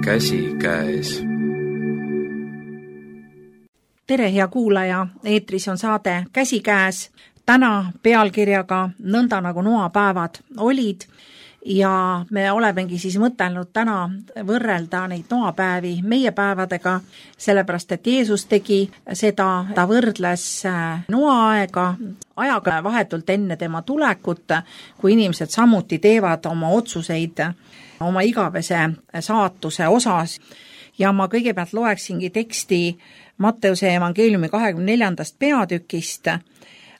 käsikäes. Tere, hea kuulaja, eetris on saade Käsikäes. Täna pealkirjaga Nõnda nagu noapäevad olid ja me olemegi siis mõtelnud täna võrrelda neid noapäevi meie päevadega, sellepärast et Jeesus tegi seda, ta võrdles noaaega ajaga vahetult enne tema tulekut, kui inimesed samuti teevad oma otsuseid oma igavese saatuse osas. Ja ma kõigepealt loeksingi teksti Matteuse evangeeliumi 24. peatükist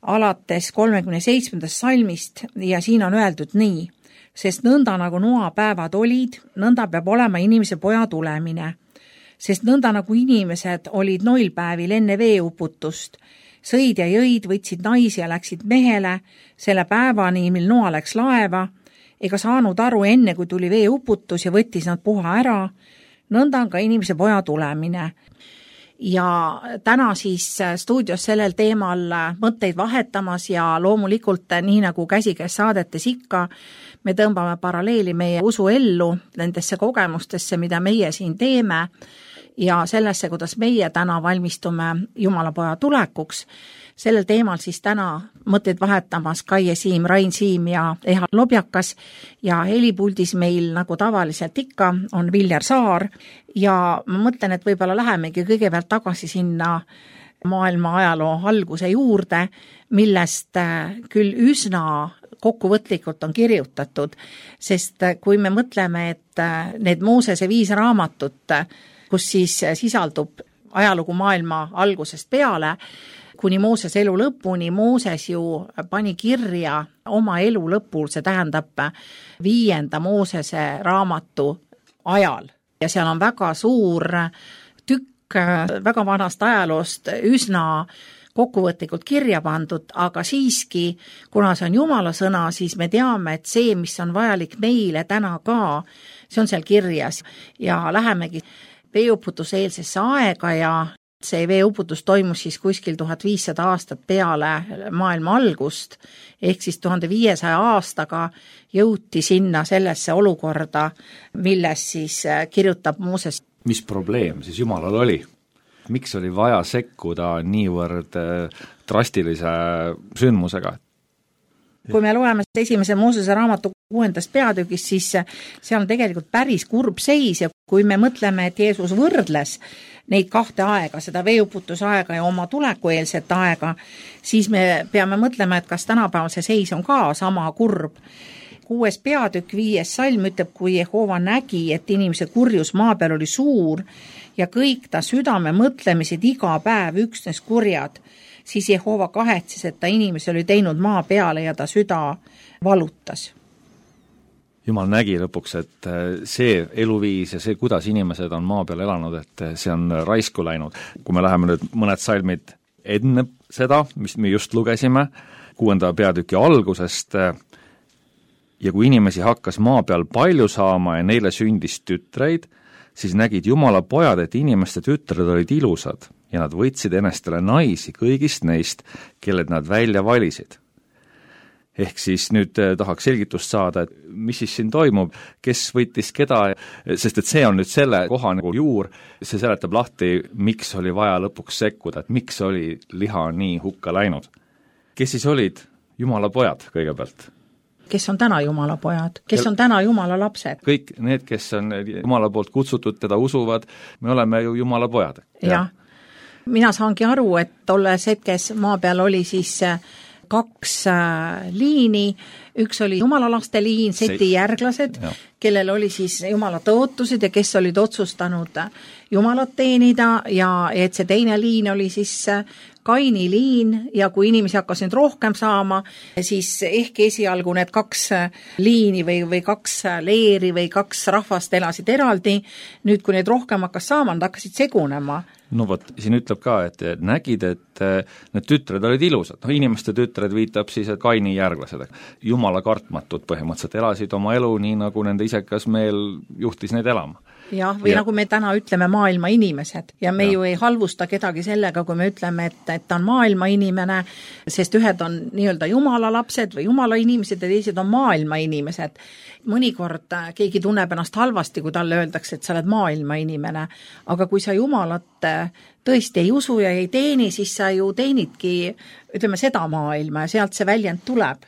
alates 37. salmist ja siin on öeldud nii: sest nõnda nagu noapäevad olid, nõnda peab olema inimese poja tulemine. Sest nõnda nagu inimesed olid noilpäevil enne veeuputust, sõid ja jõid, võtsid naisi ja läksid mehele selle päevani, mil Noa läks laeva, ega saanud aru enne, kui tuli veeuputus ja võttis nad puha ära, nõnda on ka inimese poja tulemine. Ja täna siis stuudios sellel teemal mõtteid vahetamas ja loomulikult nii nagu Käsikäes saadetes ikka, me tõmbame paralleeli meie usuellu, nendesse kogemustesse, mida meie siin teeme ja sellesse, kuidas meie täna valmistume Jumalapoja tulekuks. Sellel teemal siis täna mõtteid vahetamas Kaie Siim, Rain Siim ja Eha Lobjakas ja helipuldis meil nagu tavaliselt ikka on Viljar Saar ja ma mõtlen, et võib-olla lähemegi kõigepealt tagasi sinna maailma ajaloo alguse juurde, millest küll üsna kokkuvõtlikult on kirjutatud, sest kui me mõtleme, et need Moosese 5 raamatut, kus siis sisaldub ajalugu maailma algusest peale, kuni Mooses elu lõpuni, Mooses ju pani kirja oma elu lõpul, see tähendab 5. Moosese raamatu ajal. Ja seal on väga suur tükk väga vanast ajaloost üsna kokkuvõtlikult kirja pandud, aga siiski, kuna see on Jumala sõna, siis me teame, et see, mis on vajalik meile täna ka, see on seal kirjas. Ja lähemegi veeuputuse eelsesse aega ja see veeuputus toimus siis kuskil 1500 aastat peale maailma algust, ehk siis 1500 aastaga jõuti sinna sellesse olukorda, milles siis kirjutab Mooses. Mis probleem siis Jumalal oli? Miks oli vaja sekkuda niivõrd drastilise sündmusega? Kui me loeme 1. Moosese raamatu 6. peatükis, siis seal on tegelikult päris kurb seis ja kui me mõtleme, et Jeesus võrdles neid 2 aega, seda veeuputus aega ja oma tulekueelset aega, siis me peame mõtlema, et kas tänapäeval see seis on ka sama kurb. 6. peatükk 5. salm ütleb, kui Jehova nägi, et inimese kurjus maa peal oli suur ja kõik ta südame mõtlemised iga päev üksnes kurjad, siis Jehova kahetses, et ta inimese oli teinud maa peale ja ta süda valutas. Jumal nägi lõpuks, et see eluviis ja see, kuidas inimesed on maa peal elanud, et see on raisku läinud. Kui me läheme nüüd mõned salmid enne seda, mis me just lugesime, 6. peatüki algusest, ja kui inimesi hakkas maa peal palju saama ja neile sündis tütreid, siis nägid Jumala pojad, et inimeste tütred olid ilusad ja nad võtsid enestele naisi kõigist neist, kelled nad välja valisid. Ehk siis nüüd tahaks selgitust saada, et mis siis siin toimub, kes võttis keda, sest et see on nüüd selle koha nagu juur, see seletab lahti, miks oli vaja lõpuks sekkuda, et miks oli liha nii hukka läinud. Kes siis olid Jumala pojad kõigepealt? Kes on täna Jumala pojad? Kes on täna Jumala lapsed? Kõik need, kes on Jumala poolt kutsutud, teda usuvad, me oleme ju Jumala pojad. Ja. Mina saangi aru, et tolles hetkes maa peal oli siis 2 liini, üks oli Jumala laste liin, Seti järglased, kellel oli siis Jumala tõotused ja kes olid otsustanud Jumalat teenida ja et see teine liin oli siis Kaini liin ja kui inimesi hakkas nüüd rohkem saama, siis ehk esialgu need 2 liini või 2 leeri või 2 rahvast elasid eraldi, nüüd kui neid rohkem hakkas saama, nad hakkasid segunema. No vot, siin ütleb ka, et nägid, et need tütred olid ilusad. Inimeste tütred viitab siis, et Kaini järglased. Jumala kartmatud põhimõtteliselt elasid oma elu nii, nagu nende isekas meel juhtis neid elama. jah, või nagu me täna ütleme maailma inimesed ja me ju ei halvusta kedagi sellega, kui me ütleme, et ta on maailma inimene, sest ühed on nii-öelda jumala lapsed või jumala inimesed ja teised on maailma inimesed. Mõnikord keegi tunneb ennast halvasti, kui talle öeldakse, et sa oled maailma inimene, aga kui sa jumalat tõesti ei usu ja ei teeni, siis sa ju teenidki, ütleme, seda maailma ja sealt see väljend tuleb.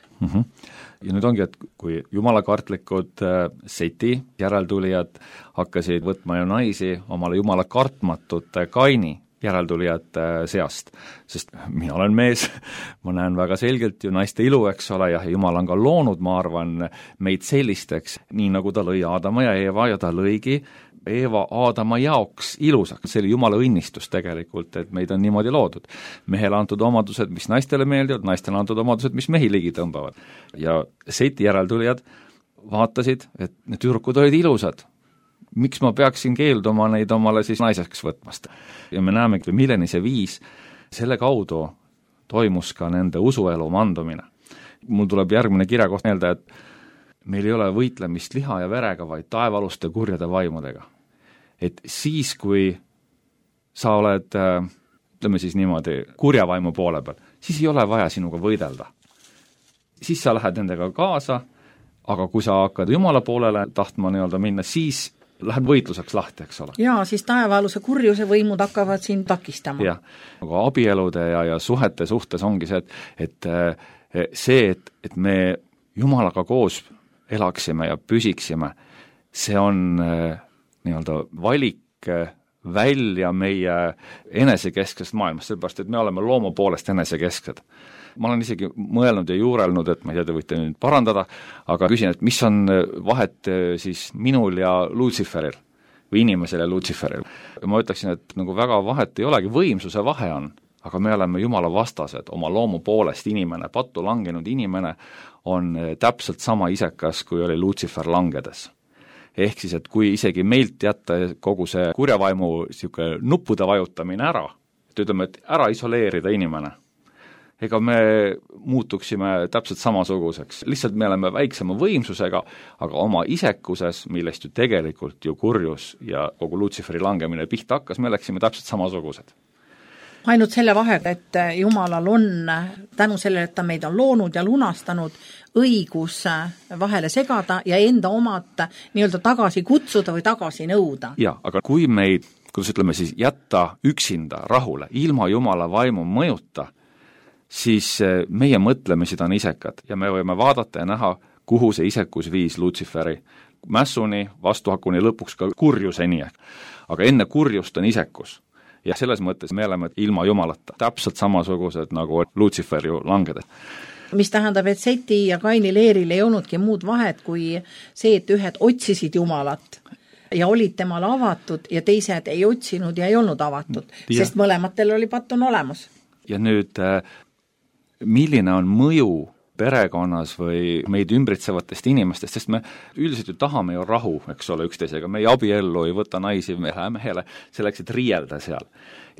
Ja nüüd ongi, et kui jumalakartlikud Seti järeltulijad hakkasid võtma ju naisi omale jumala kartmatute Kaini järeltulijate seast, sest mina olen mees, ma näen väga selgelt ju naiste ilu, eks ole, ja Jumal on ka loonud, ma arvan, meid sellisteks, nii nagu ta lõi Aadama ja Eeva ja ta lõigi Eeva Aadama jaoks ilusaks, see oli Jumala õnnistus tegelikult, et meid on niimoodi loodud. Mehele antud omadused, mis naistele meeldivad, naistele antud omadused, mis mehi ligi tõmbavad. Ja Seti järeltulijad vaatasid, et need tüdrukud olid ilusad. Miks ma peaksin keelduma neid omale siis naiseks võtmast? Ja me näeme, milleni see viis, selle kaudu toimus ka nende usuelu mandumine. Mul tuleb järgmine kirjakoht meelde, et meil ei ole võitlemist liha ja verega, vaid taevaluste kurjade vaimudega. Et siis, kui sa oled, ütleme siis niimoodi, kurja vaimu poole peal, siis ei ole vaja sinuga võidelda. Siis sa lähed nendega kaasa, aga kui sa hakkad Jumala poolele tahtma nii-öelda minna, siis läheb võitluseks lahti, eks ole. Jaa, siis taevaaluse kurjuse võimud hakkavad siin takistama. Jah, aga abielude ja suhete suhtes ongi see, et me Jumalaga koos elaksime ja püsiksime, see on nii-öelda valik välja meie enesekesksest maailmast, sellepärast, et me oleme looma poolest enesekesksed. Ma olen isegi mõelnud ja juurelnud, et ma ei tea, te võite nüüd parandada, aga küsin, et mis on vahet siis minul ja Lutsiferil või inimesel ja Lutsiferil. Ma ütleksin, et nagu väga vahet ei olegi, võimsuse vahe on, aga me oleme Jumala vastased, oma loomu poolest inimene, pattu langenud inimene on täpselt sama isekas, kui oli Lutsifer langedes. Ehk siis, et kui isegi meilt jätta kogu see kurjavaimu nuppude vajutamine ära, et ütleme, et ära isoleerida inimene, ega me muutuksime täpselt samasuguseks. Lihtsalt me oleme väiksema võimsusega, aga oma isekuses, millest ju tegelikult ju kurjus ja kogu Lutsiferi langemine pihta hakkas, me läksime täpselt samasugused. Ainult selle vahega, et Jumalal on tänu sellele, et ta meid on loonud ja lunastanud, õigus vahele segada ja enda omad nii-öelda tagasi kutsuda või tagasi nõuda. Ja, aga kui meid, kuidas ütleme siis, jätta üksinda rahule, ilma Jumala vaimu mõjuta, siis meie mõtlemised on isekad ja me võime vaadata ja näha, kuhu see isekus viis Lutsiferi mässuni, vastuhakuni, lõpuks ka kurjuseni. Aga enne kurjust on isekus. Ja selles mõttes me oleme ilma Jumalata täpselt samasugused nagu Lutsifer ju langedes. Mis tähendab, et Seti ja Kaini leeril ei olnudki muud vahet kui see, et ühed otsisid Jumalat ja olid temale avatud ja teised ei otsinud ja ei olnud avatud, sest mõlematel oli pattun olemas. Ja nüüd, milline on mõju perekonnas või meid ümbritsevatest inimestest, sest me üldiselt ju tahame ju rahu, eks ole, üksteisega, me ei abiellu, ei võta naisi mehele selleks, et riielda seal.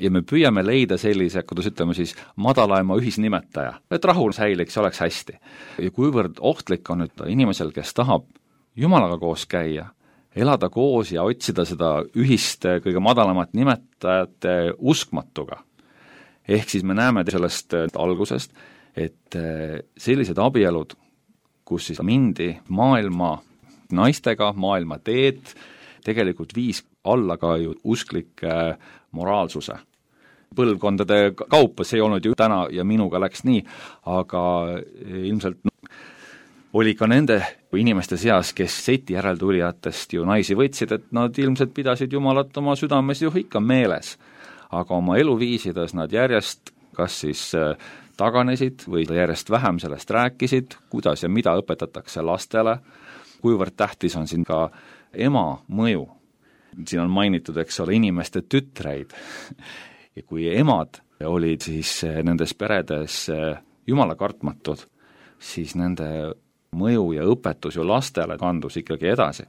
Ja me püüame leida sellise, kuidas ütleme siis, madalaima ühisnimetaja, et rahu säiliks, oleks hästi. Ja kuivõrd ohtlik on nüüd inimesel, kes tahab Jumalaga koos käia, elada koos ja otsida seda ühist kõige madalamat nimetajate uskmatuga. Ehk siis me näeme sellest algusest, et sellised abielud, kus siis mindi maailma naistega, maailma teed, tegelikult viis alla ka ju usklike moraalsuse. Põlvkondade kaupa, see ei olnud ju täna ja minuga läks nii, aga ilmselt oli ka nende inimeste seas, kes Seti järeltulijatest ju naisi võtsid, et nad ilmselt pidasid Jumalat oma südames ju ikka meeles. Aga oma eluviisides nad järjest kas siis taganesid või järjest vähem sellest rääkisid, kuidas ja mida õpetatakse lastele, kuivõrd tähtis on siin ka ema mõju. Siin on mainitud, eks ole, inimeste tütreid. Ja kui emad olid siis nendes peredes Jumala kartmatud, siis nende mõju ja õpetus ju lastele kandus ikkagi edasi.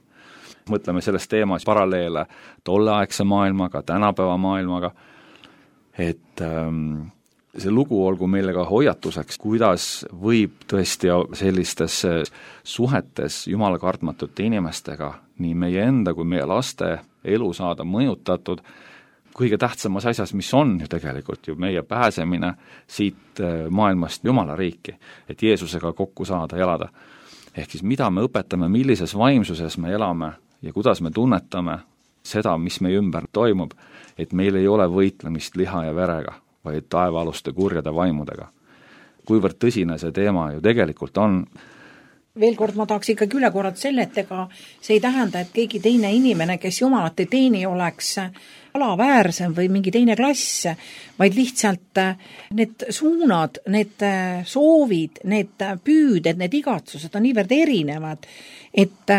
Mõtleme selles teemas paralleele tolleaegse maailmaga, tänapäeva maailmaga, et see lugu olgu meile ka hoiatuseks, kuidas võib tõesti sellistes suhetes jumala kartmatute inimestega nii meie enda kui meie laste elu saada mõjutatud kõige tähtsamas asjas, mis on ju tegelikult ju meie pääsemine siit maailmast Jumala riiki, et Jeesusega kokku saada, elada. Ehk siis mida me õpetame, millises vaimsuses me elame ja kuidas me tunnetame seda, mis meie ümber toimub, et meil ei ole võitlemist liha ja verega, vaid taevaaluste kurjade vaimudega. Kuivõrd tõsine see teema ju tegelikult on. Veel kord ma tahaks ikkagi üle korrata selle, et ega see ei tähenda, et keegi teine inimene, kes Jumalat ei teeni, oleks alaväärsem või mingi teine klass, vaid lihtsalt need suunad, need soovid, need püüded, need igatsused on niivõrd erinevad, et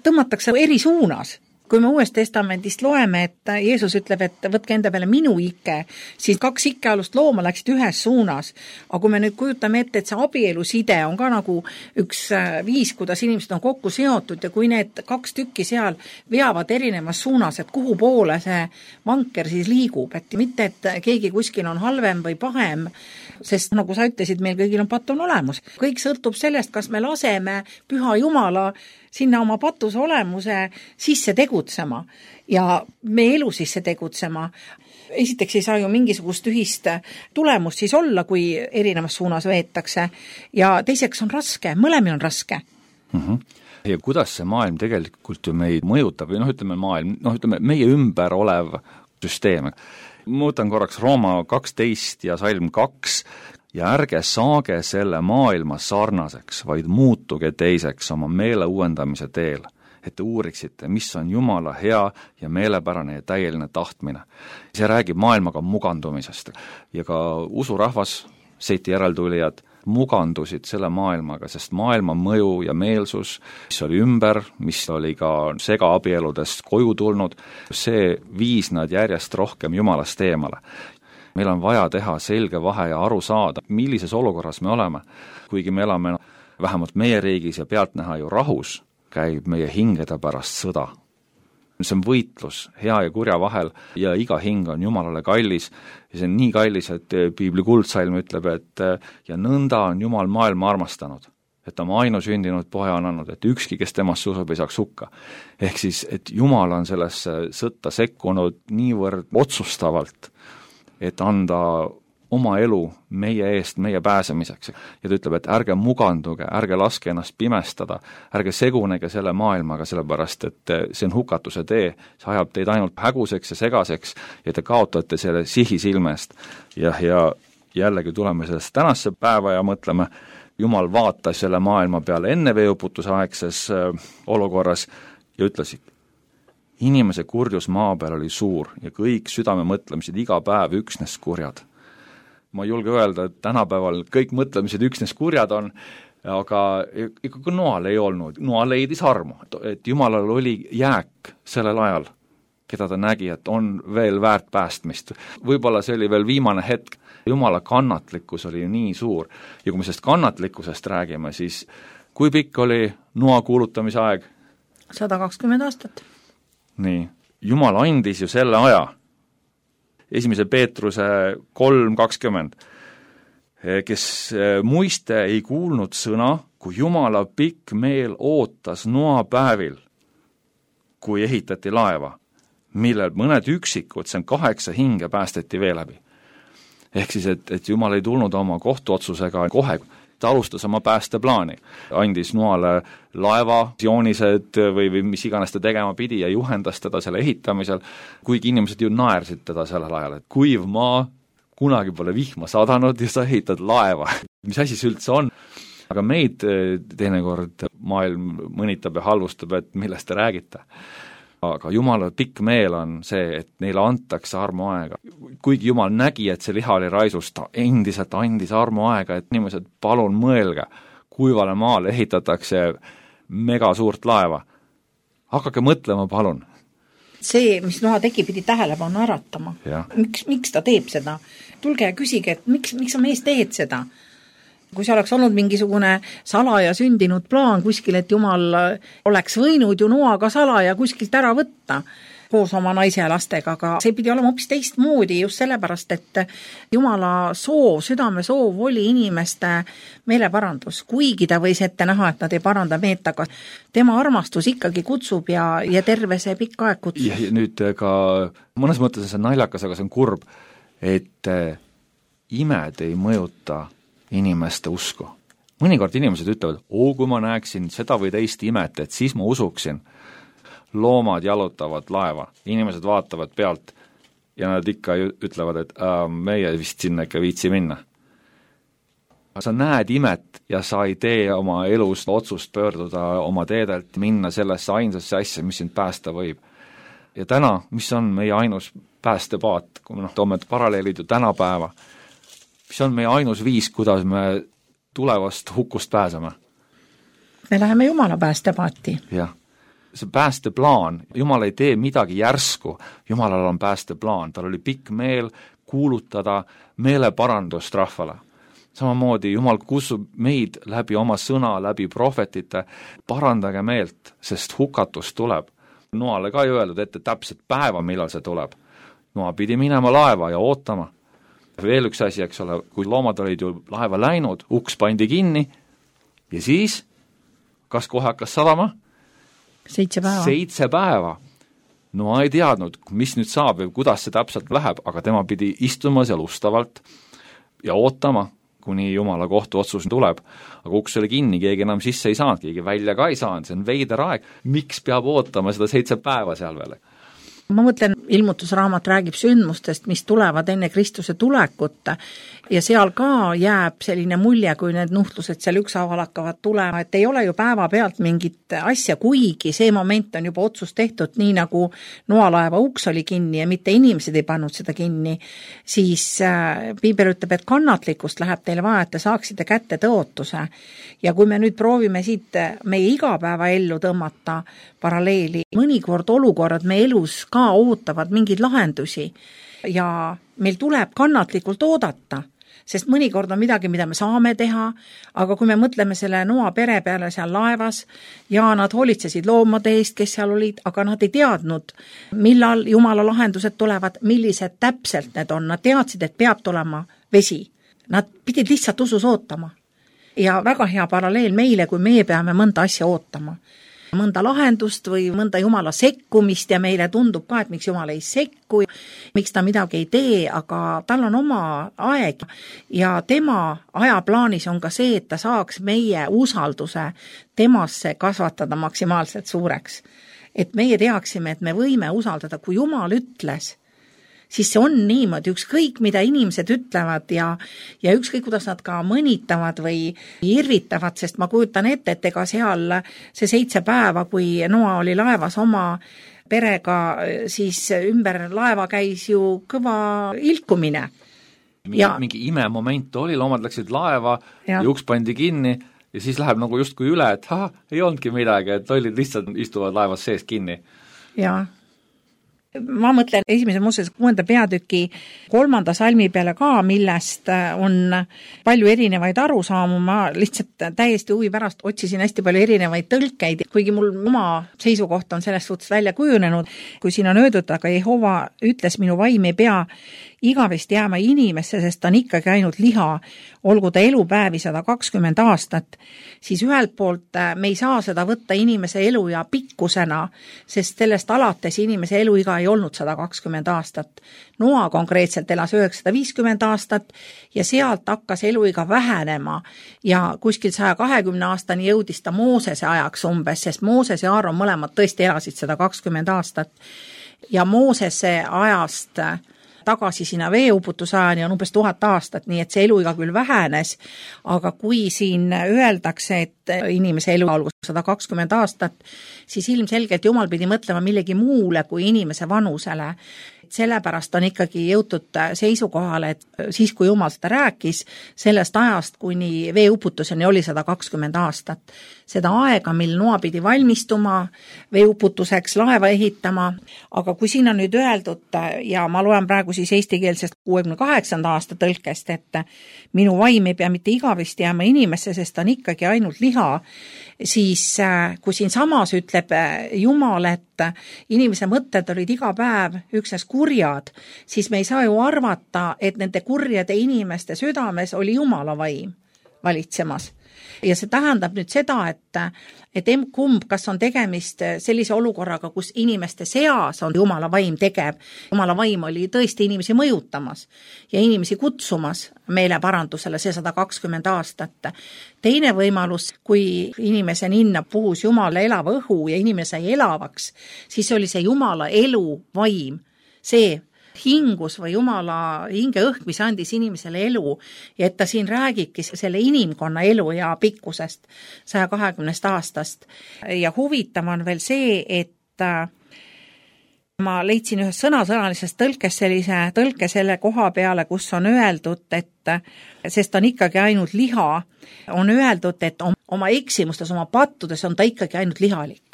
tõmmatakse eri suunas. Kui me Uuest Testamendist loeme, et Jeesus ütleb, et võtke enda peale minu ikke, siis 2 ikkealust looma läksid ühes suunas. Aga kui me nüüd kujutame ette, et see abieluside on ka nagu üks viis, kuidas inimesed on kokku seotud ja kui need 2 tükki seal veavad erinevas suunas, et kuhu poole see vanker siis liigub, et mitte, et keegi kuskil on halvem või pahem, sest nagu sa ütlesid, meil kõigil on patt on olemus. Kõik sõltub sellest, kas me laseme Püha Jumala sinna oma patuse olemuse sisse tegutsema ja me elu sisse tegutsema. Esiteks ei saa ju mingisugust ühist tulemust siis olla, kui erinevas suunas veetakse ja teiseks on raske, mõlemil on raske. Ja kuidas see maailm tegelikult ju meid mõjutab või ütleme maailm, ütleme meie ümber olev süsteem. Muutan korraks Rooma 12 ja Salm 2 ja ärge saage selle maailma sarnaseks, vaid muutuge teiseks oma meele uuendamise teel, et te uuriksite, mis on Jumala hea ja meelepärane ja täieline tahtmine. See räägib maailmaga mugandumisest ja ka usurahvas, Seiti järeltulijad, mugandusid selle maailmaga, sest maailma mõju ja meelsus, mis oli ümber, mis oli ka segaabieludest koju tulnud, see viis nad järjest rohkem Jumalast eemale. Meil on vaja teha selge vahe ja aru saada, millises olukorras me oleme. Kuigi me elame vähemalt meie riigis ja pealtnäha ju rahus, käib meie hingede pärast sõda. See on võitlus hea ja kurja vahel ja iga hing on Jumalale kallis ja see on nii kallis, et Piibli kuldsalm ütleb, et ja nõnda on Jumal maailma armastanud, et oma ainusündinud poja on andnud, et ükski, kes temast usub, ei saaks hukka. Ehk siis, et Jumal on sellesse sõtta sekkunud niivõrd otsustavalt, et anda oma elu meie eest, meie pääsemiseks. Ja ta ütleb, et ärge muganduge, ärge laske ennast pimestada, ärge segunege selle maailmaga, sellepärast, et see on hukatuse tee, see ajab teid ainult häguseks ja segaseks ja te kaotate selle sihi silmest. Ja jällegi tuleme sellest tänasse päeva ja mõtleme, Jumal vaatas selle maailma peale enne veeuputuse aegses olukorras ja ütlesid, inimese kurjus maa peal oli suur ja kõik südame mõtlemised iga päev üksnes kurjad. Ma julge öelda, et tänapäeval kõik mõtlemised üksnes kurjad on, aga ikkagi Noal ei olnud. Noa leidis armu, et Jumalal oli jääk sellel ajal, keda ta nägi, et on veel väärt päästmist. Võib-olla see oli veel viimane hetk. Jumala kannatlikkus oli nii suur. Ja kui me sellest kannatlikkusest räägime, siis kui pikk oli Noa kuulutamise aeg? 120 aastat. Nii, Jumal andis ju selle aja. 1. Peetruse 3:20, kes muiste ei kuulnud sõna, kui Jumala pikk meel ootas Noa päevil, kui ehitati laeva, millel mõned üksikud, see on 8 hinge päästeti vee läbi. Ehk siis, et Jumal ei tulnud oma kohtuotsusega kohe, ta alustas oma päästeplaani, andis Noale laeva, joonised või mis iganes ta tegema pidi ja juhendas teda selle ehitamisel, kuigi inimesed ju naersid teda sellel ajal, et kuiv maa, kunagi pole vihma sadanud ja sa ehitad laeva. Mis asi see üldse on? Aga meid teinekord maailm mõnitab ja halvustab, et millest te räägite. Aga Jumala pikk meel on see, et neile antakse armuaega. Kuigi Jumal nägi, et see liha oli raisus, ta endiselt andis armuaega, et inimesed palun mõelge, kuivale maale ehitatakse mega suurt laeva. Hakake mõtlema, palun. See, mis Noa tegi, pidi tähelepanu äratama. Miks ta teeb seda? Tulge ja küsige, et miks sa mees teed seda? Kui see oleks olnud mingisugune salaja sündinud plaan kuskil, et Jumal oleks võinud ju Noaga salaja kuskilt ära võtta, koos oma naise ja lastega, aga see pidi olema hoopis teistmoodi just sellepärast, et Jumala soov, südame soov oli inimeste meeleparandus, kuigi ta võis ette näha, et nad ei paranda meelt, aga tema armastus ikkagi kutsub ja terve see pikk aeg kutsub. Ja nüüd ka mõnes mõttes on see naljakas, aga see on kurb, et imed ei mõjuta inimeste usku. Mõnikord inimesed ütlevad, kui ma näeksin seda või teist imet, et siis ma usuksin. Loomad jalutavad laeva, inimesed vaatavad pealt ja nad ikka ütlevad, et meie vist sinna ikka viitsi minna. Sa näed imet ja sa ei tee oma elust otsust pöörduda oma teedelt, minna sellesse ainsasse asja, mis sind päästa võib. Ja täna, mis on meie ainus päästepaat, kui me toome paralleelid ju tänapäeva, mis on meie ainus viis, kuidas me tulevast hukust pääseme? Me läheme Jumala päästepaati. Jah. See päästeplaan, Jumal ei tee midagi järsku, Jumalal on päästeplaan, tal oli pikk meel kuulutada meeleparandust rahvale. Samamoodi Jumal kutsub meid läbi oma sõna, läbi prohvetite, parandage meelt, sest hukatus tuleb. Noale ka ei öeldud ette täpselt päeva, millal see tuleb. Noa pidi minema laeva ja ootama. Veel üks asi, eks ole, kui loomad olid ju laeva läinud, uks pandi kinni ja siis, kas kohe hakkas sadama? 7 päeva. 7 päeva. No ei teadnud, mis nüüd saab või kuidas see täpselt läheb, aga tema pidi istuma seal ustavalt ja ootama, kuni Jumala kohtuotsus tuleb. Aga uks oli kinni, keegi enam sisse ei saanud, keegi välja ka ei saanud, see on veider aeg. Miks peab ootama seda 7 päeva seal veel? Ma mõtlen, ilmutusraamat räägib sündmustest, mis tulevad enne Kristuse tulekut ja seal ka jääb selline mulje, kui need nuhtlused seal ükshaaval hakkavad tulema, et ei ole ju päeva pealt mingit asja, kuigi see moment on juba otsus tehtud, nii nagu noalaeva uks oli kinni ja mitte inimesed ei pannud seda kinni, siis Piibel ütleb, et kannatlikkust läheb teile vaja, et te saaksite kätte tõotuse. Ja kui me nüüd proovime siit meie igapäeva ellu tõmmata paralleeli, mõnikord olukorrad me elus ka ootavad mingeid lahendusi ja meil tuleb kannatlikult oodata, sest mõnikord on midagi, mida me saame teha, aga kui me mõtleme selle Noa pere peale seal laevas ja nad hoolitsesid loomade eest, kes seal olid, aga nad ei teadnud, millal Jumala lahendused tulevad, millised täpselt need on, nad teadsid, et peab tulema vesi. Nad pidid lihtsalt usus ootama. Ja väga hea paralleel meile, kui meie peame mõnda asja ootama. Mõnda lahendust või mõnda Jumala sekkumist ja meile tundub ka, et miks Jumal ei sekku, miks ta midagi ei tee, aga tal on oma aeg ja tema ajaplaanis on ka see, et ta saaks meie usalduse temasse kasvatada maksimaalselt suureks. Et meie teaksime, et me võime usaldada, kui Jumal ütles, siis see on niimoodi, ükskõik mida inimesed ütlevad ja ükskõik kuidas nad ka mõnitavad või irvitavad, sest ma kujutan ette, et ega seal see 7 päeva, kui Noa oli laevas oma perega, siis ümber laeva käis ju kõva ilkumine. Mingi imemoment oli, loomad läksid laeva ja uks pandi kinni ja siis läheb nagu justkui üle, et ei olnudki midagi, et olid lihtsalt istuvad laevas sees kinni. Jaa. Ma mõtlen esimese Moosese 6. peatüki 3. salmi peale ka, millest on palju erinevaid arusaamu, ma lihtsalt täiesti huvi pärast otsisin hästi palju erinevaid tõlkeid, kuigi mul oma seisukoht on sellest suhtes välja kujunenud, kui siin on öeldud, aga Jehova ütles, minu vaim ei pea igavesti jääma inimesse, sest ta on ikkagi ainult liha, olgu ta elupäevi 120 aastat, siis ühelt poolt me ei saa seda võtta inimese elu ja pikkusena, sest sellest alates inimese eluiga ei olnud 120 aastat. Noa konkreetselt elas 950 aastat ja sealt hakkas eluiga vähenema ja kuskil 120 aastani jõudis ta Moosese ajaks umbes, sest Mooses ja Aaron mõlemad tõesti elasid 120 aastat ja Moosese ajast tagasi sinna veeuputuse on umbes 1000 aastat, nii et see eluiga küll vähenes, aga kui siin öeldakse, et inimese elu olgu 120 aastat, siis ilmselgelt Jumal pidi mõtlema millegi muule kui inimese vanusele. Sellepärast on ikkagi jõutud seisukohale, et siis kui Jumal seda rääkis, sellest ajast kuni veeuputuseni oli 120 aastat. Seda aega, mil Noa pidi valmistuma, veeuputuseks laeva ehitama, aga kui siin on nüüd öeldud, ja ma loen praegu siis eestikeelsest 68. aasta tõlkest, et minu vaim ei pea mitte igavesti jääma inimesse, sest on ikkagi ainult liha, siis kui siin samas ütleb Jumal, et inimese mõtted olid iga päev üksnes kurjad, siis me ei saa ju arvata, et nende kurjade inimeste südames oli Jumala vaim valitsemas. Ja see tähendab nüüd seda, et kumb, kas on tegemist sellise olukorraga, kus inimeste seas on Jumala vaim tegev. Jumala vaim oli tõesti inimesi mõjutamas ja inimesi kutsumas meeleparandusele see 120 aastat. Teine võimalus, kui inimese ninna puhus Jumala elava õhu ja inimene sai elavaks, siis oli see Jumala elu vaim, see hingus või Jumala hingeõhk, mis andis inimesele elu ja et ta siin räägibki selle inimkonna elu ja pikkusest 120 aastast. Ja huvitav on veel see, et ma leidsin ühes sõnasõnalisest tõlkes sellise tõlke selle koha peale, kus on öeldud, et sest on ikkagi ainult liha, on öeldud, et oma eksimustes, oma pattudes on ta ikkagi ainult lihalik.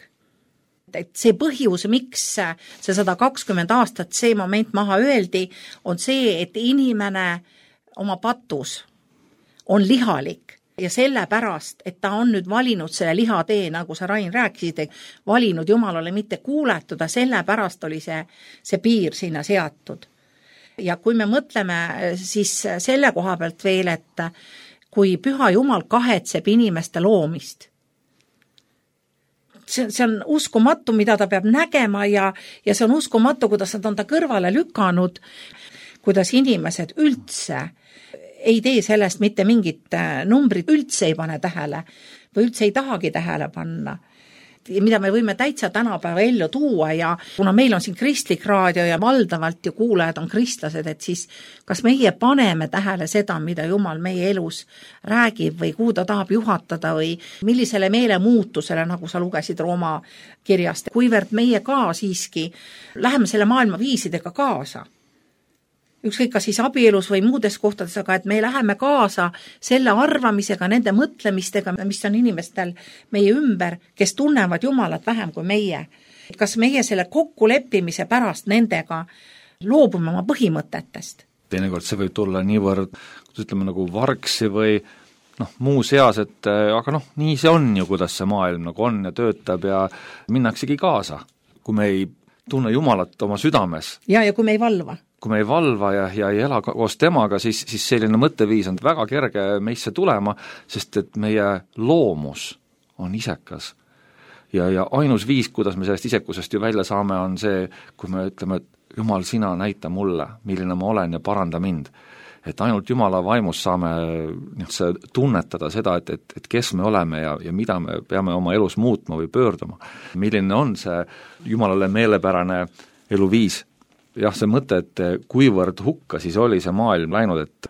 Et see põhjus, miks see 120 aastat see moment maha öeldi, on see, et inimene oma patus on lihalik ja sellepärast, et ta on nüüd valinud selle lihatee, nagu sa, Rain, rääkisid, valinud Jumalale mitte kuuletuda, sellepärast oli see piir sinna seatud. Ja kui me mõtleme siis selle koha pealt veel, et kui Püha Jumal kahetseb inimeste loomist, see on uskumatu, mida ta peab nägema ja see on uskumatu, kuidas nad on ta kõrvale lükanud, kuidas inimesed üldse ei tee sellest mitte mingit numbrit, üldse ei pane tähele või üldse ei tahagi tähele panna, mida me võime täitsa tänapäeva ellu tuua ja kuna meil on siin kristlik raadio ja valdavalt ju kuulajad on kristlased, et siis kas meie paneme tähele seda, mida Jumal meie elus räägib või kuhu ta tahab juhatada või millisele meelemuutusele, nagu sa lugesid Rooma kirjast, kuivõrd meie ka siiski läheme selle maailma viisidega kaasa. Ükskõik ka siis abielus või muudes kohtades, aga et me läheme kaasa selle arvamisega, nende mõtlemistega, mis on inimestel meie ümber, kes tunnevad Jumalat vähem kui meie. Kas meie selle kokkuleppimise pärast nendega loobume oma põhimõtetest? Teinekord see võib tulla niivõrd, ütleme nagu vargsi või muu seas, et aga nii see on ju, kuidas see maailm nagu on ja töötab ja minnaksegi kaasa, kui me ei tunne Jumalat oma südames. Ja kui me ei valva. Kui me ei valva ja ei ela koos temaga, siis selline mõtteviis on väga kerge meisse tulema, sest et meie loomus on isekas. Ja ainus viis, kuidas me sellest isekusest ju välja saame, on see, kui me ütleme, et Jumal, sina näita mulle, milline ma olen ja paranda mind. Et ainult Jumala vaimus saame tunnetada seda, et kes me oleme ja mida me peame oma elus muutma või pöörduma. Milline on see Jumalale meelepärane eluviis. Jah, see mõte, et kuivõrd hukka siis oli see maailm läinud, et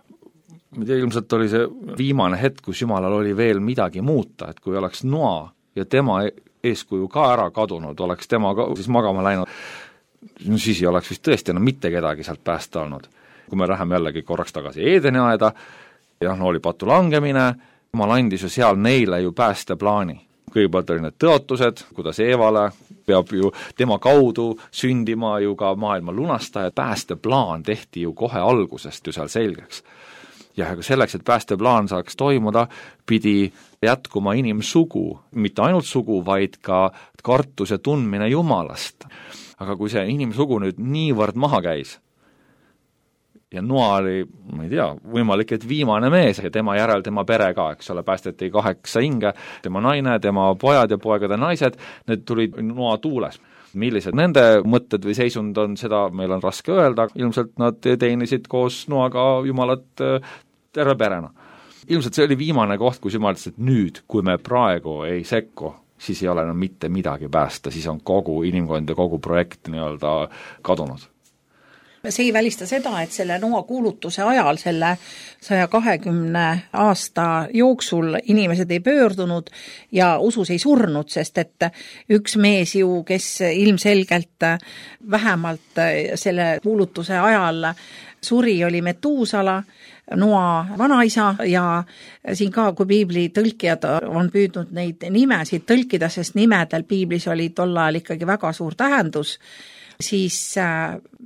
ilmselt oli see viimane hetk, kus Jumalal oli veel midagi muuta, et kui oleks Noa ja tema eeskuju ka ära kadunud, oleks tema ka siis magama läinud, siis ei oleks vist tõesti enam mitte kedagi sealt päästa olnud. Kui me läheme jällegi korraks tagasi Eedeni aeda, oli patu langemine, Jumal andis ju seal neile ju päästeplaani. Kõigepealt oli need tõotused, kuidas Eevale peab ju tema kaudu sündima ju ka maailma lunastaja, päästeplaan tehti ju kohe algusest ju seal selgeks. Ja selleks, et päästeplaan saaks toimuda, pidi jätkuma inimsugu, mitte ainult sugu, vaid ka kartus ja tundmine Jumalast. Aga kui see inimsugu nüüd niivõrd maha käis, ja Noa oli, ma ei tea, võimalik, et viimane mees ja tema järel tema pere ka, eks ole, päästeti 8 hinge, tema naine, tema pojad ja poegade naised, need tulid Noa tuules. Millised nende mõtted või seisund on, seda meil on raske öelda, ilmselt nad teenisid koos Noaga Jumalat terve perena. Ilmselt see oli viimane koht, kus Jumal ütles, et nüüd, kui me praegu ei sekku, siis ei ole enam mitte midagi päästa, siis on kogu inimkond ja kogu projekt nii-öelda kadunud. See ei välista seda, et selle Noa kuulutuse ajal, selle 120 aasta jooksul inimesed ei pöördunud ja usus ei surnud, sest et üks mees ju, kes ilmselgelt vähemalt selle kuulutuse ajal suri, oli Metuusala, Noa vanaisa ja siin ka, kui piibli tõlkijad on püüdnud neid nimesid tõlkida, sest nimedel piiblis oli tol ajal ikkagi väga suur tähendus, siis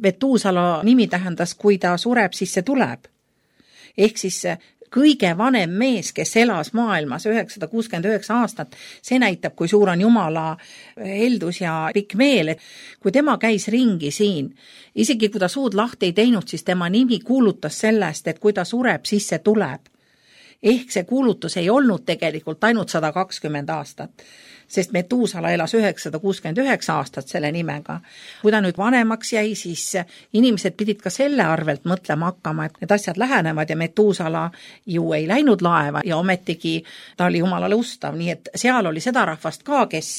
Metuusala nimi tähendas, kui ta sureb, siis see tuleb. Ehk siis kõige vanem mees, kes elas maailmas 969 aastat, see näitab, kui suur on Jumala heldus ja pikk meel, et kui tema käis ringi siin, isegi kui ta suud lahti ei teinud, siis tema nimi kuulutas sellest, et kui ta sureb, siis see tuleb. Ehk see kuulutus ei olnud tegelikult ainult 120 aastat, sest Metuusala elas 969 aastat selle nimega. Kui ta nüüd vanemaks jäi, siis inimesed pidid ka selle arvelt mõtlema hakkama, et need asjad lähenevad ja Metuusala ju ei läinud laeva ja ometigi ta oli Jumalale ustav, nii et seal oli seda rahvast ka, kes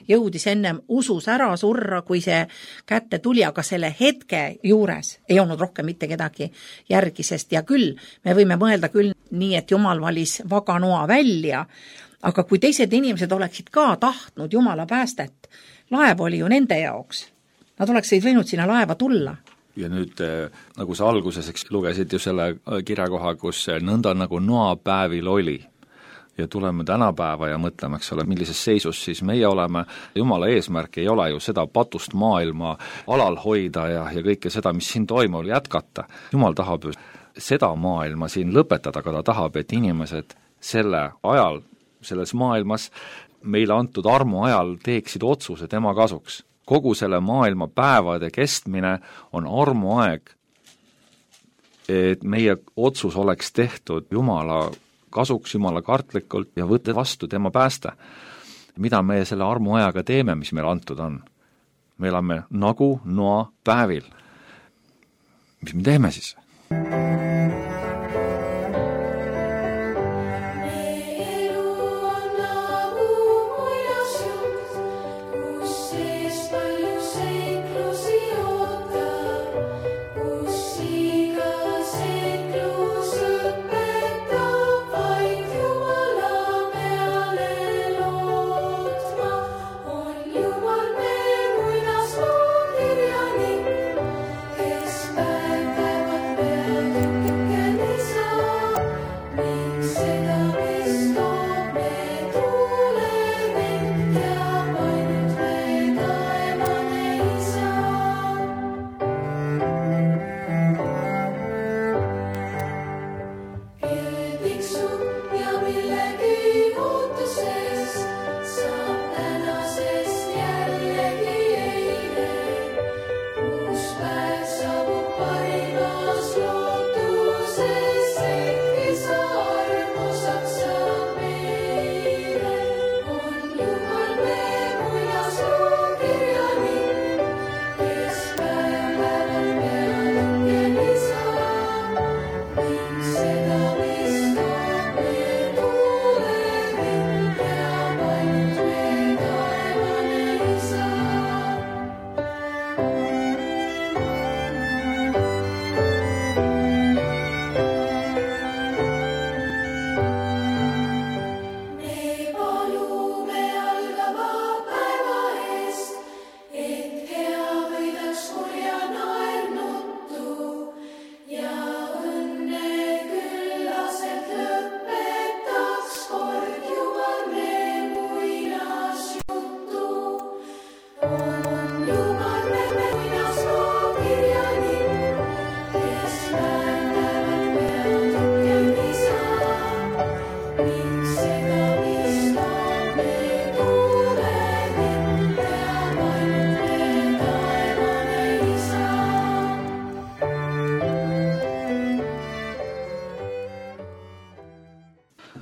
jõudis ennem usus ära surra, kui see kätte tuli, aga selle hetke juures ei olnud rohkem mitte kedagi järgi, sest ja küll me võime mõelda küll nii, et Jumal valis vaga noa välja, aga kui teised inimesed oleksid ka tahtnud Jumala päästet, laev oli ju nende jaoks. Nad oleksid võinud sinna laeva tulla. Ja nüüd, nagu sa alguses lugesid ju selle kirjakoha, kus nõnda nagu noapäevil oli. Ja tuleme tänapäeva ja mõtleme, eks ole, millises seisus siis meie oleme. Jumala eesmärk ei ole ju seda patust maailma alal hoida ja kõike seda, mis siin toimub, jätkata. Jumal tahab ju seda maailma siin lõpetada, aga ta tahab, et inimesed selle ajal, selles maailmas meile antud armu ajal teeksid otsuse tema kasuks. Kogu selle maailma päevade kestmine on armuaeg, et meie otsus oleks tehtud Jumala kasuks, Jumala kartlikult ja võtta vastu tema pääste. Mida me selle armuajaga teeme, mis meil antud on? Me elame nagu noa päevil. Mis me teeme siis?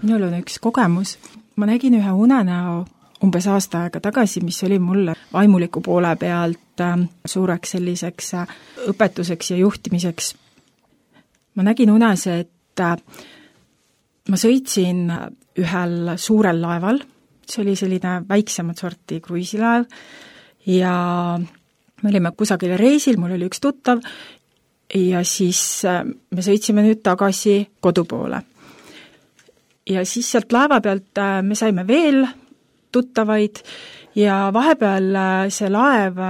Minul on üks kogemus. Ma nägin ühe unenäo umbes aasta aega tagasi, mis oli mulle vaimuliku poole pealt suureks selliseks õpetuseks ja juhtimiseks. Ma nägin unes, et ma sõitsin ühel suurel laeval, see oli selline väiksemat sorti kruiisilaev ja me olime kusagile reisil, mul oli üks tuttav ja siis me sõitsime nüüd tagasi kodu poole. Ja siis sealt laeva pealt me saime veel tuttavaid ja vahepeal see laev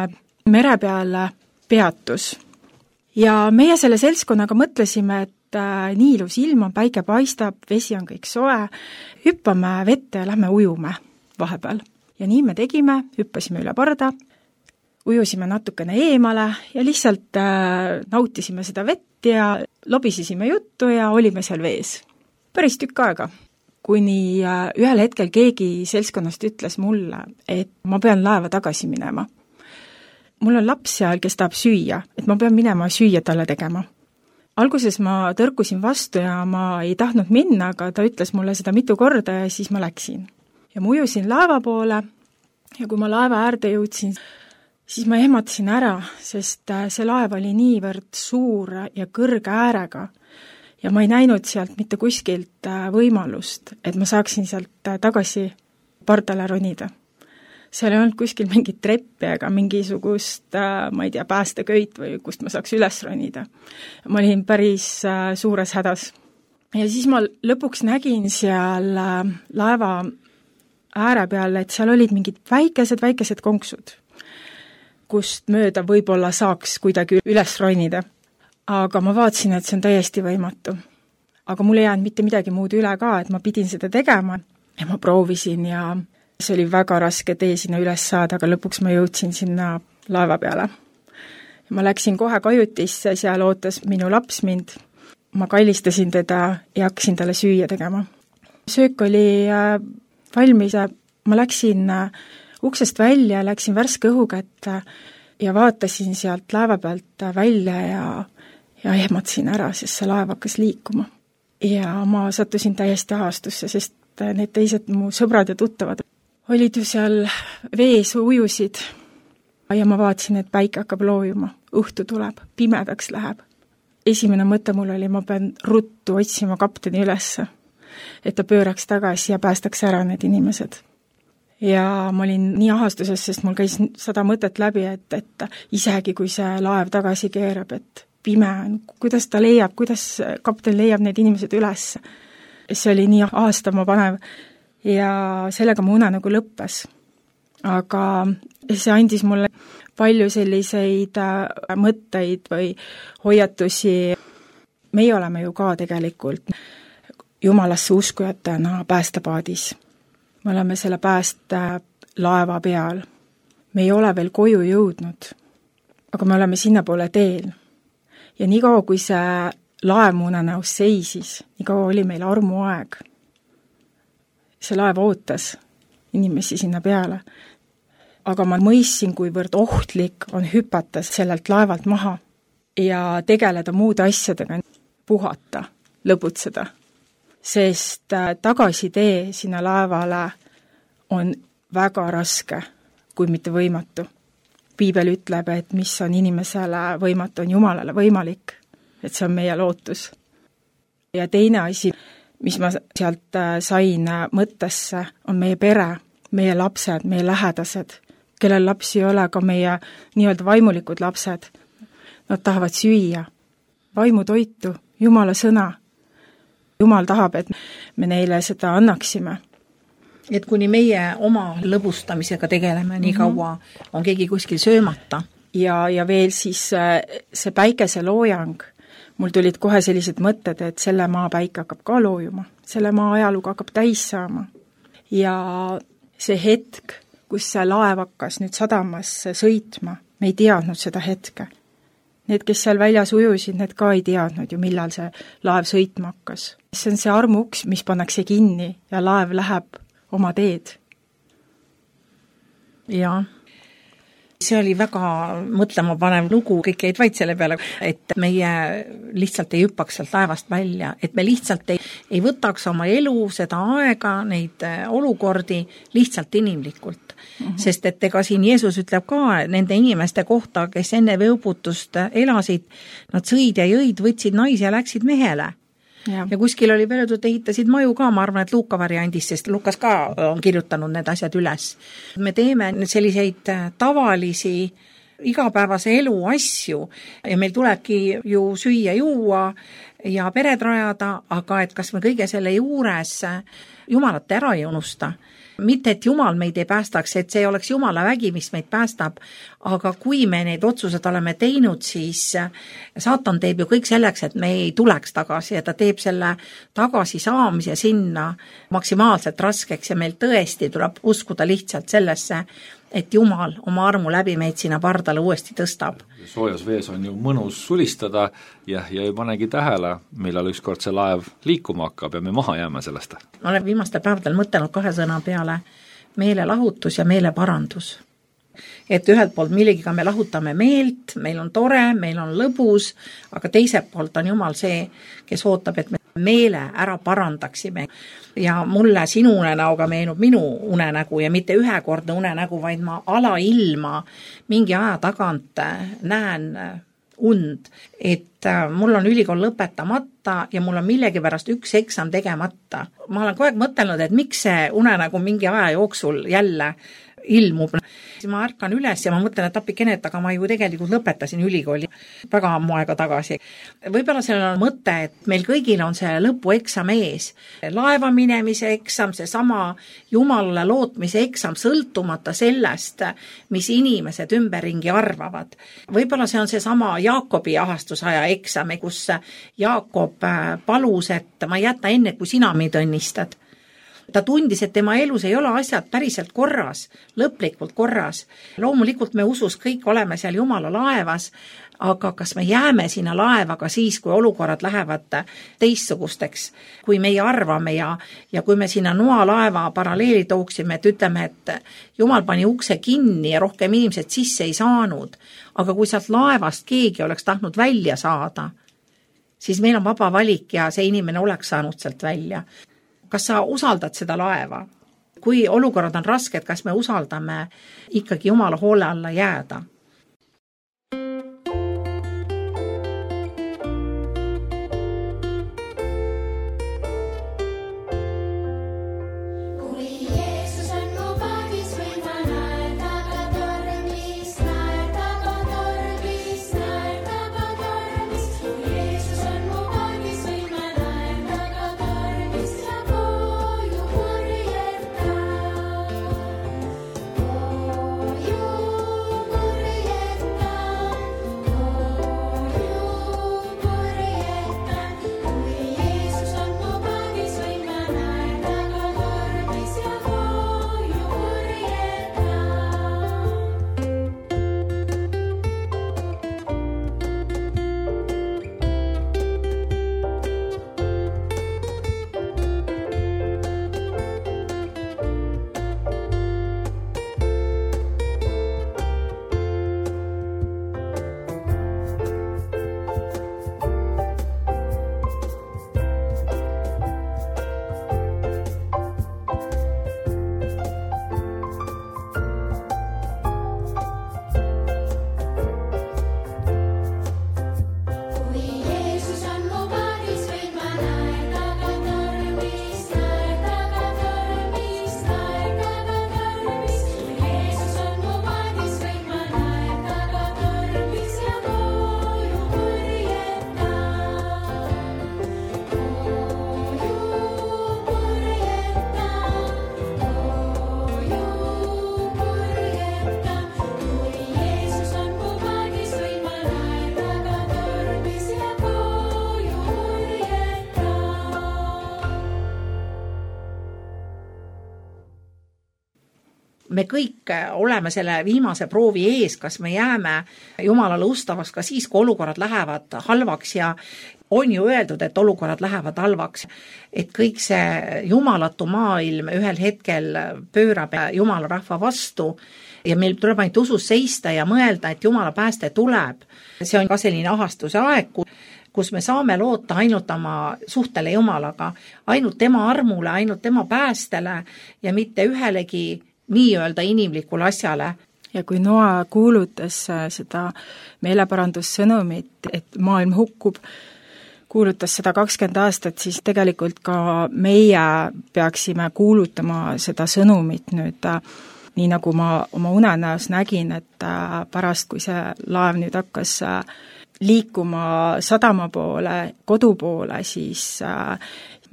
mere peale peatus. Ja meie selle seltskonnaga mõtlesime, et nii ilus ilm on, päike paistab, vesi on kõik soe, hüppame vette ja lähme ujume vahepeal. Ja nii me tegime, hüppasime üle parda, ujusime natukene eemale ja lihtsalt nautisime seda vett ja lobisesime juttu ja olime seal vees. päris tükk aega, kuni ühel hetkel keegi seltskonnast ütles mulle, et ma pean laeva tagasi minema. Mul on laps seal, kes tahab süüa, et ma pean minema süüa talle tegema. Alguses ma tõrkusin vastu ja ma ei tahtnud minna, aga ta ütles mulle seda mitu korda ja siis ma läksin. Ja ma ujusin laeva poole ja kui ma laeva äärde jõudsin, siis ma ehmatasin ära, sest see laev oli niivõrd suur ja kõrge äärega ja ma ei näinud sealt mitte kuskilt võimalust, et ma saaksin sealt tagasi pardale ronida. Seal ei olnud kuskil mingit treppi ega mingisugust, ma ei tea, päästeköit või kust ma saaks üles ronida. Ma olin päris suures hädas. Ja siis ma lõpuks nägin seal laeva ääre peal, et seal olid mingid väikesed konksud, kust mööda võib-olla saaks kuidagi üles ronida. Aga ma vaatasin, et see on täiesti võimatu. Aga mul ei jäänud mitte midagi muud üle ka, et ma pidin seda tegema ja ma proovisin ja see oli väga raske tee sinna üles saada, aga lõpuks ma jõudsin sinna laeva peale. Ma läksin kohe kajutisse, seal ootas minu laps mind. Ma kallistasin teda ja hakkasin talle süüa tegema. Söök oli valmis, ma läksin uksest välja, läksin värske õhu kätte ja vaatasin sealt laeva pealt välja ja ehmatasin ära, sest see laev hakkas liikuma. Ja ma sattusin täiesti ahastusse, sest need teised mu sõbrad ja tuttavad olid ju seal vees, ujusid ja ma vaatasin, et päike hakkab loojuma, õhtu tuleb, pimedaks läheb. Esimene mõte mul oli, ma pean ruttu otsima kapteni ülesse, et ta pööraks tagasi ja päästaks ära need inimesed. Ja ma olin nii ahastuses, sest mul käis 100 mõtet läbi, et isegi kui see laev tagasi keerab, et pime on, kuidas ta leiab, kuidas kapten leiab need inimesed üles. See oli nii ahastama panev ja sellega mu une nagu lõppes. Aga see andis mulle palju selliseid mõtteid või hoiatusi. Meie oleme ju ka tegelikult Jumalasse uskujatena päästepaadis. Me oleme selle päästelaeva peal. Me ei ole veel koju jõudnud, aga me oleme sinna poole teel. Ja nii kaua, kui see laev mu unenäos seisis, nii kaua oli meil armuaeg. See laev ootas inimesi sinna peale. Aga ma mõistsin, kuivõrd ohtlik on hüpata sellelt laevalt maha ja tegeleda muude asjadega, puhata, lõbutseda. Sest tagasitee sinna laevale on väga raske, kui mitte võimatu. Piibel ütleb, et mis on inimesele võimatu, on Jumalale võimalik, et see on meie lootus. Ja teine asi, mis ma sealt sain mõttesse, on meie pere, meie lapsed, meie lähedased, kellel lapsi ei ole, ka meie nii-öelda vaimulikud lapsed. Nad tahavad süüa, vaimutoitu, Jumala sõna. Jumal tahab, et me neile seda annaksime. Et kuni meie oma lõbustamisega tegeleme, nii kaua on keegi kuskil söömata. Ja veel siis see päikese loojang. Mul tulid kohe sellised mõtted, et selle maa päike hakkab ka loojuma. Selle maa ajalugu hakkab täis saama. Ja see hetk, kus see laev hakkas nüüd sadamasse sõitma, me ei teadnud seda hetke. Need, kes seal väljas ujusid, need ka ei teadnud ju, millal see laev sõitma hakkas. See on see armuuks, mis pannakse kinni ja laev läheb oma teed. Jaa. See oli väga mõtlema panev lugu, kõik jäid vaid selle peale, et meie lihtsalt ei hüppaks sealt laevast välja, et me lihtsalt ei võtaks oma elu, seda aega, neid olukordi lihtsalt inimlikult. Sest et ega siin Jeesus ütleb ka nende inimeste kohta, kes enne veuputust elasid, nad sõid ja jõid, võtsid naisi ja läksid mehele. Ja kuskil oli öeldud, et ehitasid maju ka, ma arvan, et Luuka variandis, sest Lukas ka on kirjutanud need asjad üles. Me teeme selliseid tavalisi igapäevase elu asju ja meil tulebki ju süüa, juua ja pered rajada, aga et kas me kõige selle juures Jumalat ära ei unusta. Mitte, et Jumal meid ei päästaks, et see oleks Jumala vägi, mis meid päästab, aga kui me neid otsused oleme teinud, siis saatan teeb ju kõik selleks, et me ei tuleks tagasi ja ta teeb selle tagasi saamise sinna maksimaalselt raskeks ja meil tõesti tuleb uskuda lihtsalt sellesse, et Jumal oma armu läbi meid sinna pardale uuesti tõstab. Soojas vees on ju mõnus sulistada ja ei panegi tähele, millal ükskord see laev liikuma hakkab ja me maha jääme sellest. Ma olen viimastel päevadel mõtelnud 2 sõna peale, meelelahutus ja meeleparandus. Et ühelt poolt millegiga me lahutame meelt, meil on tore, meil on lõbus, aga teiselt poolt on Jumal see, kes ootab, et me meele ära parandaksime. Ja mulle sinu unenäoga meenub minu unenägu ja mitte ühekordne unenägu, vaid ma alailma mingi aja tagant näen und, et mul on ülikool lõpetamata ja mul on millegipärast 1 eksam tegemata. Ma olen kogu aeg mõtelnud, et miks see unenägu mingi aja jooksul jälle ilmub. Ma ärkan üles ja ma mõtlen, et appikene, aga ma ju tegelikult lõpetasin ülikooli väga ammu aega tagasi. Võib-olla sellel on mõte, et meil kõigil on see lõpueksam ees. Laeva minemise eksam, see sama Jumalale lootmise eksam, sõltumata sellest, mis inimesed ümberringi arvavad. Võib-olla see on see sama Jaakobi ahastusaja eksam, kus Jaakob palus, et ma jäta enne, kui sina meid õnnistad. Ta tundis, et tema elus ei ole asjad päriselt korras, lõplikult korras. Loomulikult me usus kõik oleme seal Jumala laevas, aga kas me jääme sinna laevaga siis, kui olukorrad lähevad teistsugusteks, kui meie arvame ja kui me sinna Noa laeva paralleeli tooksime, et ütleme, et Jumal pani ukse kinni ja rohkem inimesed sisse ei saanud, aga kui sealt laevast keegi oleks tahtnud välja saada, siis meil on vaba valik ja see inimene oleks saanud sealt välja. Kas sa usaldad seda laeva? Kui olukorrad on rasked, kas me usaldame ikkagi Jumala hoole alla jääda? Me kõik oleme selle viimase proovi ees, kas me jääme Jumalale ustavaks ka siis, kui olukorrad lähevad halvaks ja on ju öeldud, et olukorrad lähevad halvaks, et kõik see jumalatu maailm ühel hetkel pöörab Jumala rahva vastu ja meil tuleb ainult usus seista ja mõelda, et Jumala pääste tuleb. See on ka selline ahastuse aeg, kus me saame loota ainult oma suhtele Jumalaga, ainult tema armule, ainult tema päästele ja mitte ühelegi nii-öelda inimlikule asjale. Ja kui Noa kuulutas seda meeleparandussõnumit, et maailm hukkub, kuulutas seda 20 aastat, siis tegelikult ka meie peaksime kuulutama seda sõnumit nüüd, nii nagu ma oma unenäos nägin, et pärast, kui see laev nüüd hakkas liikuma sadama poole, kodu poole, siis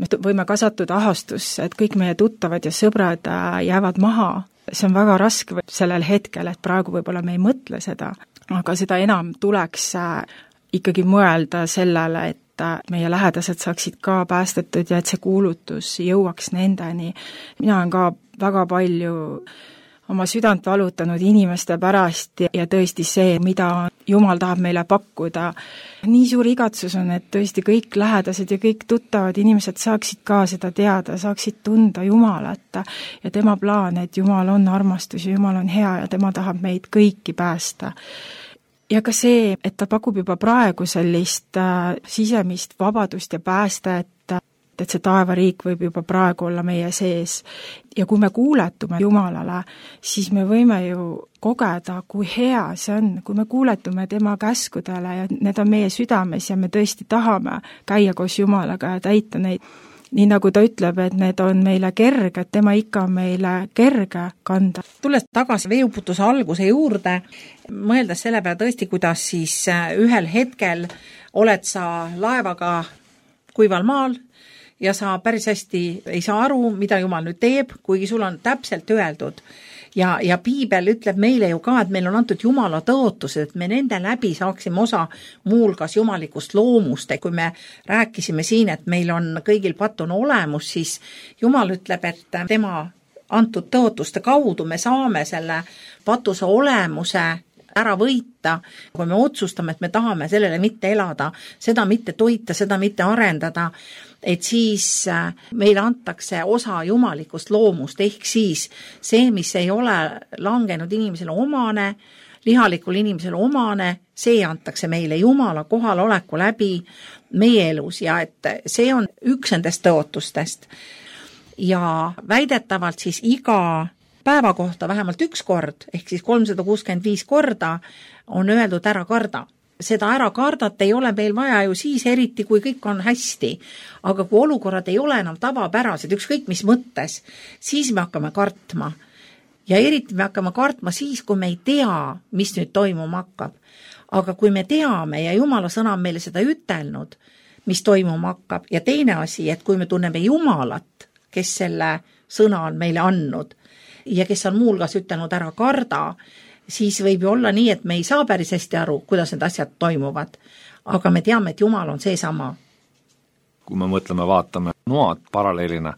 me võime kasvatuda ahastusse, et kõik meie tuttavad ja sõbrad jäävad maha. See on väga raske sellel hetkel, et praegu võib-olla me ei mõtle seda, aga seda enam tuleks ikkagi mõelda sellele, et meie lähedased saaksid ka päästetud ja et see kuulutus jõuaks nendeni. Mina olen ka väga palju oma südant valutanud inimeste pärast ja tõesti see, mida Jumal tahab meile pakkuda. Nii suur igatsus on, et tõesti kõik lähedased ja kõik tuttavad inimesed saaksid ka seda teada, saaksid tunda Jumalat ja tema plaan, et Jumal on armastus ja Jumal on hea ja tema tahab meid kõiki päästa. Ja ka see, et ta pakub juba praegu sellist sisemist vabadust ja päästet, et see taevariik võib juba praegu olla meie sees. Ja kui me kuuletume Jumalale, siis me võime ju kogeda, kui hea see on, kui me kuuletume tema käskudele ja need on meie südames ja me tõesti tahame käia koos Jumalaga ja täita neid. Nii nagu ta ütleb, et need on meile kerge, tema ikka on meile kerge kanda. Tulles tagasi veeuputuse alguse juurde, mõeldes selle peale tõesti, kuidas siis ühel hetkel oled sa laevaga kuival maal ja sa päris hästi ei saa aru, mida Jumal nüüd teeb, kuigi sul on täpselt öeldud. Ja piibel ütleb meile ju ka, et meil on antud Jumala tõotused, et me nende läbi saaksime osa muulgas jumalikust loomust. Kui me rääkisime siin, et meil on kõigil patune olemus, siis Jumal ütleb, et tema antud tõotuste kaudu me saame selle patuse olemuse ära võita, kui me otsustame, et me tahame sellele mitte elada, seda mitte toita, seda mitte arendada, et siis meile antakse osa jumalikust loomust, ehk siis see, mis ei ole langenud inimesele omane, lihalikul inimesele omane, see antakse meile Jumala kohaloleku läbi meie elus ja et see on üks nendest tõotustest. Ja väidetavalt siis iga päeva kohta vähemalt üks kord, ehk siis 365 korda on öeldud ära karda. Seda ära kardata ei ole meil vaja ju siis eriti, kui kõik on hästi. Aga kui olukorrad ei ole enam tavapärased, ükskõik mis mõttes, siis me hakkame kartma. Ja eriti me hakkame kartma siis, kui me ei tea, mis nüüd toimuma hakkab. Aga kui me teame ja Jumala sõna on meile seda ütelnud, mis toimuma hakkab, ja teine asi, et kui me tunneme Jumalat, kes selle sõna on meile andnud, ja kes on muulgas ütelnud ära karda, siis võib ju olla nii, et me ei saa päris hästi aru, kuidas need asjad toimuvad. Aga me teame, et Jumal on seesama. Kui me mõtleme, vaatame Noad paralleelina,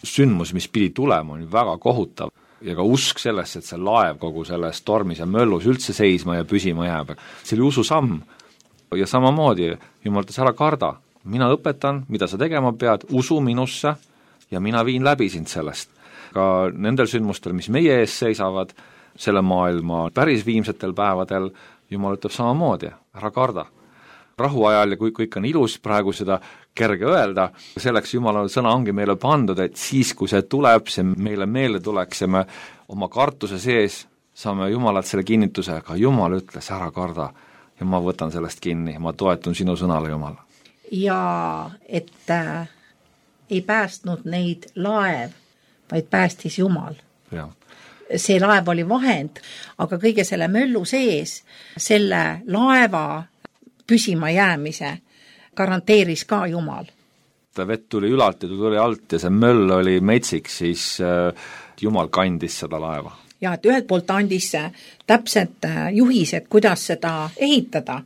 sündmus, mis pidi tulema, on väga kohutav. Ja ka usk sellest, et see laev kogu selles tormis ja möllus üldse seisma ja püsima jääb. See oli ususamm. Ja samamoodi Jumal ütles, ära karda. Mina õpetan, mida sa tegema pead, usu minusse ja mina viin läbi sind sellest. Ka nendel sündmustel, mis meie ees seisavad, selle maailma päris viimsetel päevadel, Jumal ütleb samamoodi, ära karda. Rahuajal ja kui kõik on ilus praegu seda kerge öelda, selleks Jumala sõna ongi meile pandud, et siis, kui see tuleb, see meile meelde tuleks ja me oma kartuse sees saame Jumalalt selle kinnituse, aga Jumal ütles, ära karda ja ma võtan sellest kinni, ma toetun sinu sõnale, Jumal. Ja et ei päästnud neid laev, vaid päästis Jumal. Ja. See laev oli vahend, aga kõige selle möllu sees selle laeva püsima jäämise garanteeris ka Jumal. Vett tuli ülalt ja tuli alt ja see möll oli metsik, siis Jumal kandis seda laeva. Ja et ühelt poolt andis täpselt juhised, kuidas seda ehitada.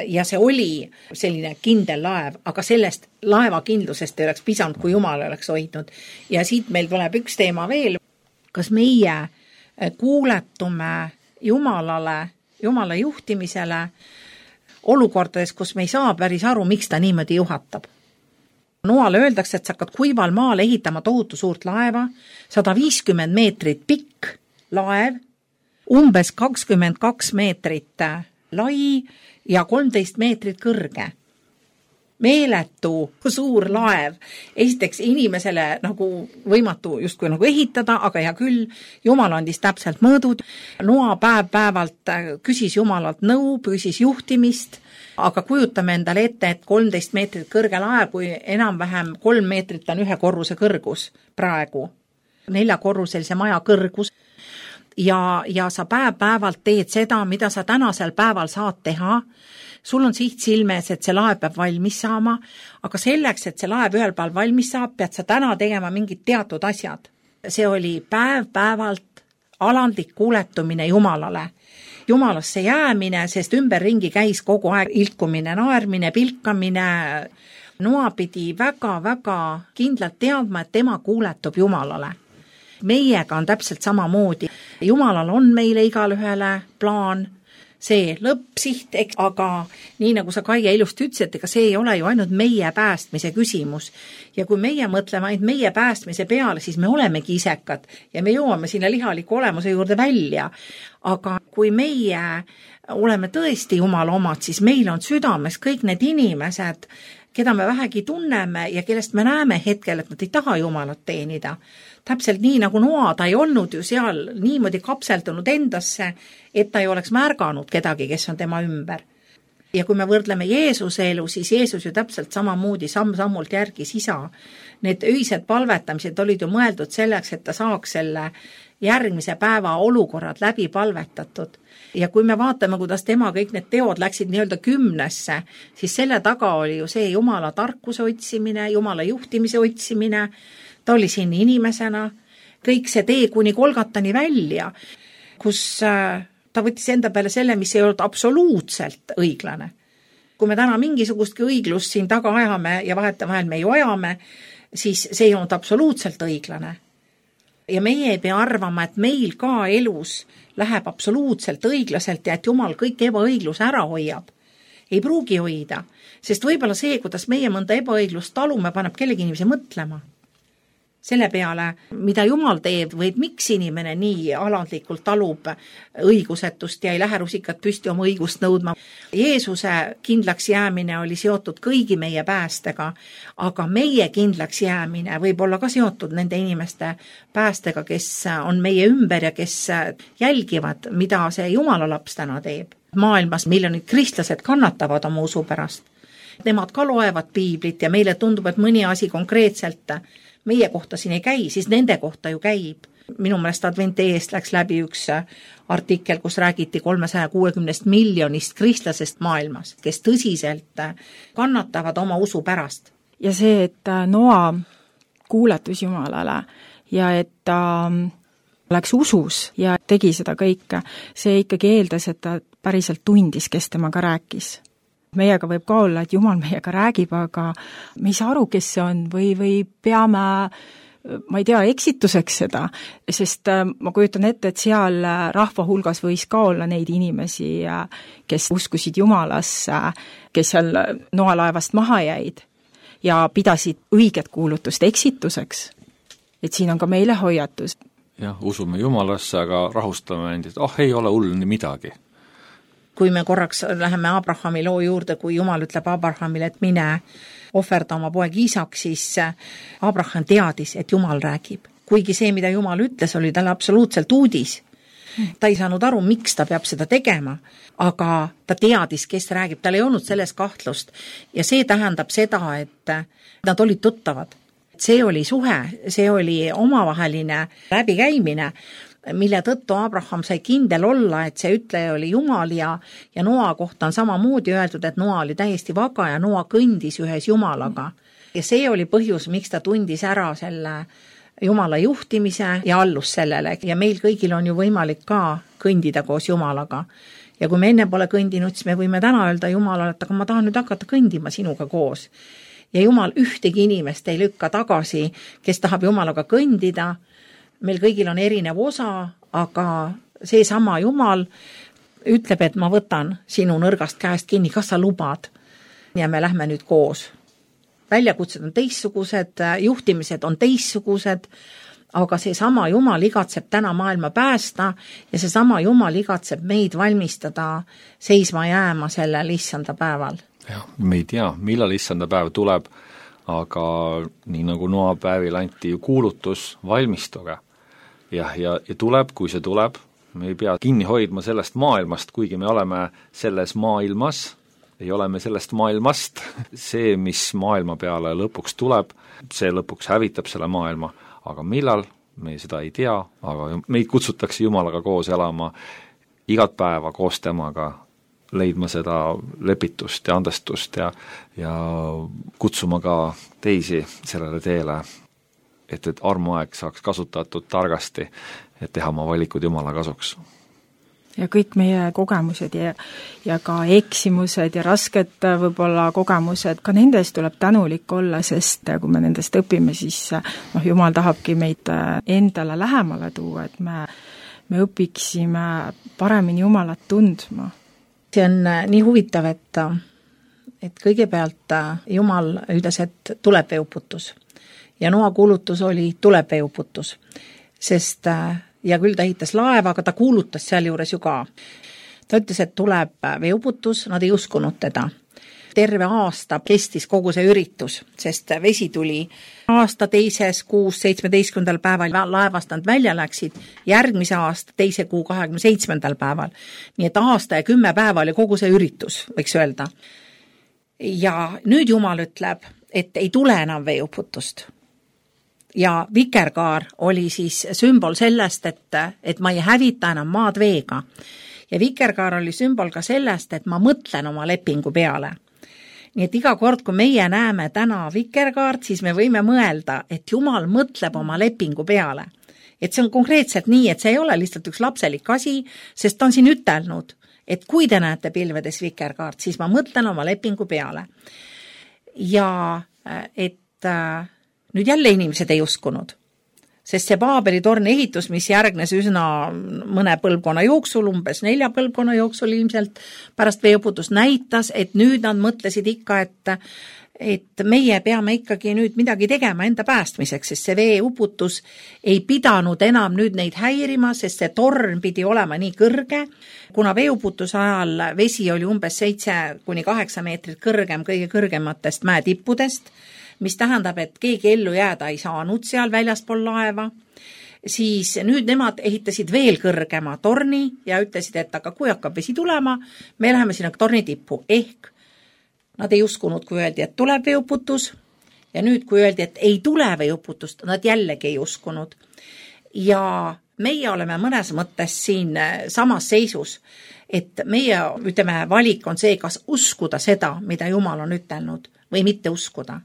Ja see oli selline kindel laev, aga sellest laevakindlusest ei oleks pisanud, kui Jumal oleks hoidnud. Ja siit meil tuleb üks teema veel. Kas meie kuuletume Jumalale, Jumala juhtimisele olukordades, kus me ei saa päris aru, miks ta niimoodi juhatab. Noale öeldakse, et sa hakkad kuival maal ehitama tohutu suurt laeva, 150 meetrit pikk laev, umbes 22 meetrit lai ja 13 meetrit kõrge. Meeletu suur laev. Esiteks inimesele nagu võimatu justkui nagu ehitada, aga hea küll, Jumal andis täpselt mõõdud. Noa päevalt küsis Jumalalt nõu, küsis juhtimist, aga kujutame endale ette, et 13 meetrit kõrge laev, kui enam-vähem 3 meetrit on ühe korruse kõrgus praegu. 4-korruselise maja kõrgus. Ja sa päevalt teed seda, mida sa tänasel päeval saad teha. Sul on siht silmes, et see laev peab valmis saama, aga selleks, et see laev ühel päeval valmis saab, pead sa täna tegema mingid teatud asjad. See oli päevalt alandlik kuuletumine Jumalale. Jumalasse jäämine, sest ümberringi käis kogu aeg ilkumine, naermine, pilkamine. Noa pidi väga-väga kindlalt teadma, et tema kuuletub Jumalale. meiega on täpselt samamoodi. Jumalal on meile igalühele plaan, see lõppsiht, aga nii nagu sa, Kaie, ilusti ütlesid, ega see ei ole ju ainult meie päästmise küsimus. Ja kui meie mõtleme ainult meie päästmise peale, siis me olemegi isekad ja me jõuame sinna lihaliku olemuse juurde välja. Aga kui meie oleme tõesti Jumala omad, siis meil on südames kõik need inimesed, keda me vähegi tunneme ja kellest me näeme hetkel, et nad ei taha Jumalat teenida. Täpselt nii nagu Noa, ta ei olnud ju seal niimoodi kapseldunud endasse, et ta ei oleks märganud kedagi, kes on tema ümber. Ja kui me võrdleme Jeesuse elu, siis Jeesus ju täpselt samamoodi samm-sammult järgis isa. Need öised palvetamised olid ju mõeldud selleks, et ta saaks selle järgmise päeva olukorrad läbi palvetatud. Ja kui me vaatame, kuidas tema kõik need teod läksid nii-öelda 10, siis selle taga oli ju see Jumala tarkuse otsimine, Jumala juhtimise otsimine, ta oli siin inimesena, kõik see tee kuni Golgatani välja, kus ta võttis enda peale selle, mis ei olnud absoluutselt õiglane. Kui me täna mingisugustki õiglust siin taga ajame ja vahetevahel me ju ajame, siis see ei olnud absoluutselt õiglane. Ja meie ei pea arvama, et meil ka elus läheb absoluutselt õiglaselt ja et Jumal kõik ebaõiglus ära hoiab. Ei pruugi hoida, sest võib-olla see, kuidas meie mõnda ebaõiglust talume, paneb kellegi inimese mõtlema. Selle peale, mida Jumal teeb või miks inimene nii alandlikult talub õigusetust ja ei lähe rusikat püsti oma õigust nõudma. Jeesuse kindlaks jäämine oli seotud kõigi meie päästega, aga meie kindlaks jäämine võib olla ka seotud nende inimeste päästega, kes on meie ümber ja kes jälgivad, mida see Jumala laps täna teeb. Maailmas miljonid kristlased kannatavad oma usu pärast. Nemad ka loevad piiblit ja meile tundub, et mõni asi konkreetselt meie kohta siin ei käi, siis nende kohta ju käib. Minu meelest Adventi eest läks läbi üks artikkel, kus räägiti 360 miljonist kristlasest maailmas, kes tõsiselt kannatavad oma usu pärast. Ja see, et Noa kuuletus Jumalale ja et ta läks usus ja tegi seda kõike, see ikkagi eeldas, et ta päriselt tundis, kes temaga rääkis. Meiega võib ka olla, et Jumal meiega räägib, aga me ei saa aru, kes see on või peame, ma ei tea, eksituseks seda, sest ma kujutan ette, et seal rahva hulgas võis ka olla neid inimesi, kes uskusid Jumalasse, kes seal Noa laevast maha jäid ja pidasid õiget kuulutust eksituseks. Et siin on ka meile hoiatus. Jah, usume Jumalasse, aga rahustame end, et ei ole hull midagi. Kui me korraks läheme Abrahami loo juurde, kui Jumal ütleb Abrahamile, et mine ohverda oma poeg Iisak, siis Abraham teadis, et Jumal räägib. Kuigi see, mida Jumal ütles, oli talle absoluutselt uudis. Ta ei saanud aru, miks ta peab seda tegema, aga ta teadis, kes räägib, tal ei olnud selles kahtlust. Ja see tähendab seda, et nad olid tuttavad. See oli suhe, see oli omavaheline läbikäimine, mille tõttu Abraham sai kindel olla, et see ütleja oli Jumal ja Noa kohta on samamoodi öeldud, et Noa oli täiesti vaga ja Noa kõndis ühes Jumalaga. Ja see oli põhjus, miks ta tundis ära selle Jumala juhtimise ja allus sellele. Ja meil kõigil on ju võimalik ka kõndida koos Jumalaga. Ja kui me enne pole kõndinud, siis me võime täna öelda Jumalale, et aga ma tahan nüüd hakata kõndima sinuga koos. Ja Jumal ühtegi inimest ei lükka tagasi, kes tahab Jumalaga kõndida. Meil kõigil on erinev osa, aga see sama Jumal ütleb, et ma võtan sinu nõrgast käest kinni, kas sa lubad? Ja me lähme nüüd koos. Väljakutsed on teistsugused, juhtimised on teistsugused, aga see sama Jumal igatseb täna maailma päästa ja see sama Jumal igatseb meid valmistada seisma jääma sellel issanda päeval. Ja, me ei tea, millal issanda päev tuleb, aga nii nagu Noa päevil anti ju kuulutus, valmistuge. Ja tuleb, kui see tuleb, me ei pea kinni hoidma sellest maailmast, kuigi me oleme selles maailmas, ei ole me sellest maailmast. See, mis maailma peale lõpuks tuleb, see lõpuks hävitab selle maailma, aga millal, me seda ei tea, aga meid kutsutakse Jumalaga koos elama igat päeva koos temaga, leidma seda lepitust ja andestust ja kutsuma ka teisi sellele teele, et armuaeg saaks kasutatud targasti, et teha oma valikud Jumala kasuks. ja kõik meie kogemused ja ka eksimused ja rasked võib-olla kogemused, ka nendes tuleb tänulik olla, sest kui me nendest õpime, siis Jumal tahabki meid endale lähemale tuua, et me õpiksime paremini Jumalat tundma. See on nii huvitav, et kõigepealt Jumal ütles, et tuleb veeuputus. Ja Noa kuulutus oli tuleb veeuputus, sest ja küll ta ehitas laeva, aga ta kuulutas seal juures ju ka. Ta ütles, et tuleb veeuputus, nad ei uskunud teda. Terve aasta kestis kogu see üritus, sest vesi tuli aasta teises kuus 17. päeval laevast nad välja läksid, järgmise aasta teise kuu 27. päeval. Nii et aasta ja 10 päeva oli kogu see üritus, võiks öelda. Ja nüüd Jumal ütleb, et ei tule enam veeuputust. Ja vikerkaar oli siis sümbol sellest, et ma ei hävita enam maad veega. Ja vikerkaar oli sümbol ka sellest, et ma mõtlen oma lepingu peale. Nii et iga kord, kui meie näeme täna vikerkaart, siis me võime mõelda, et Jumal mõtleb oma lepingu peale. Et see on konkreetselt nii, et see ei ole lihtsalt üks lapselik asi, sest ta on siin ütelnud, et kui te näete pilvedes vikerkaart, siis ma mõtlen oma lepingu peale. Ja et nüüd jälle inimesed ei uskunud, sest see Paabeli torni ehitus, mis järgnes üsna mõne põlvkonna jooksul, umbes 4 põlvkonna jooksul ilmselt pärast veeuputust näitas, et nüüd nad mõtlesid ikka, et meie peame ikkagi nüüd midagi tegema enda päästmiseks, sest see veeuputus ei pidanud enam nüüd neid häirima, sest see torn pidi olema nii kõrge, kuna veeuputuse ajal vesi oli umbes 7-8 meetrit kõrgem kõige kõrgematest mäetippudest, mis tähendab, et keegi ellu jääda ei saanud seal väljaspool laeva, siis nüüd nemad ehitasid veel kõrgema torni ja ütlesid, et aga kui hakkab vesi tulema, me läheme sinna torni tippu. Ehk nad ei uskunud, kui öeldi, et tuleb veeuputus ja nüüd, kui öeldi, et ei tule veeuputust, nad jällegi ei uskunud. Ja meie oleme mõnes mõttes siin samas seisus, et meie, valik on see, kas uskuda seda, mida Jumal on ütelnud või mitte uskuda.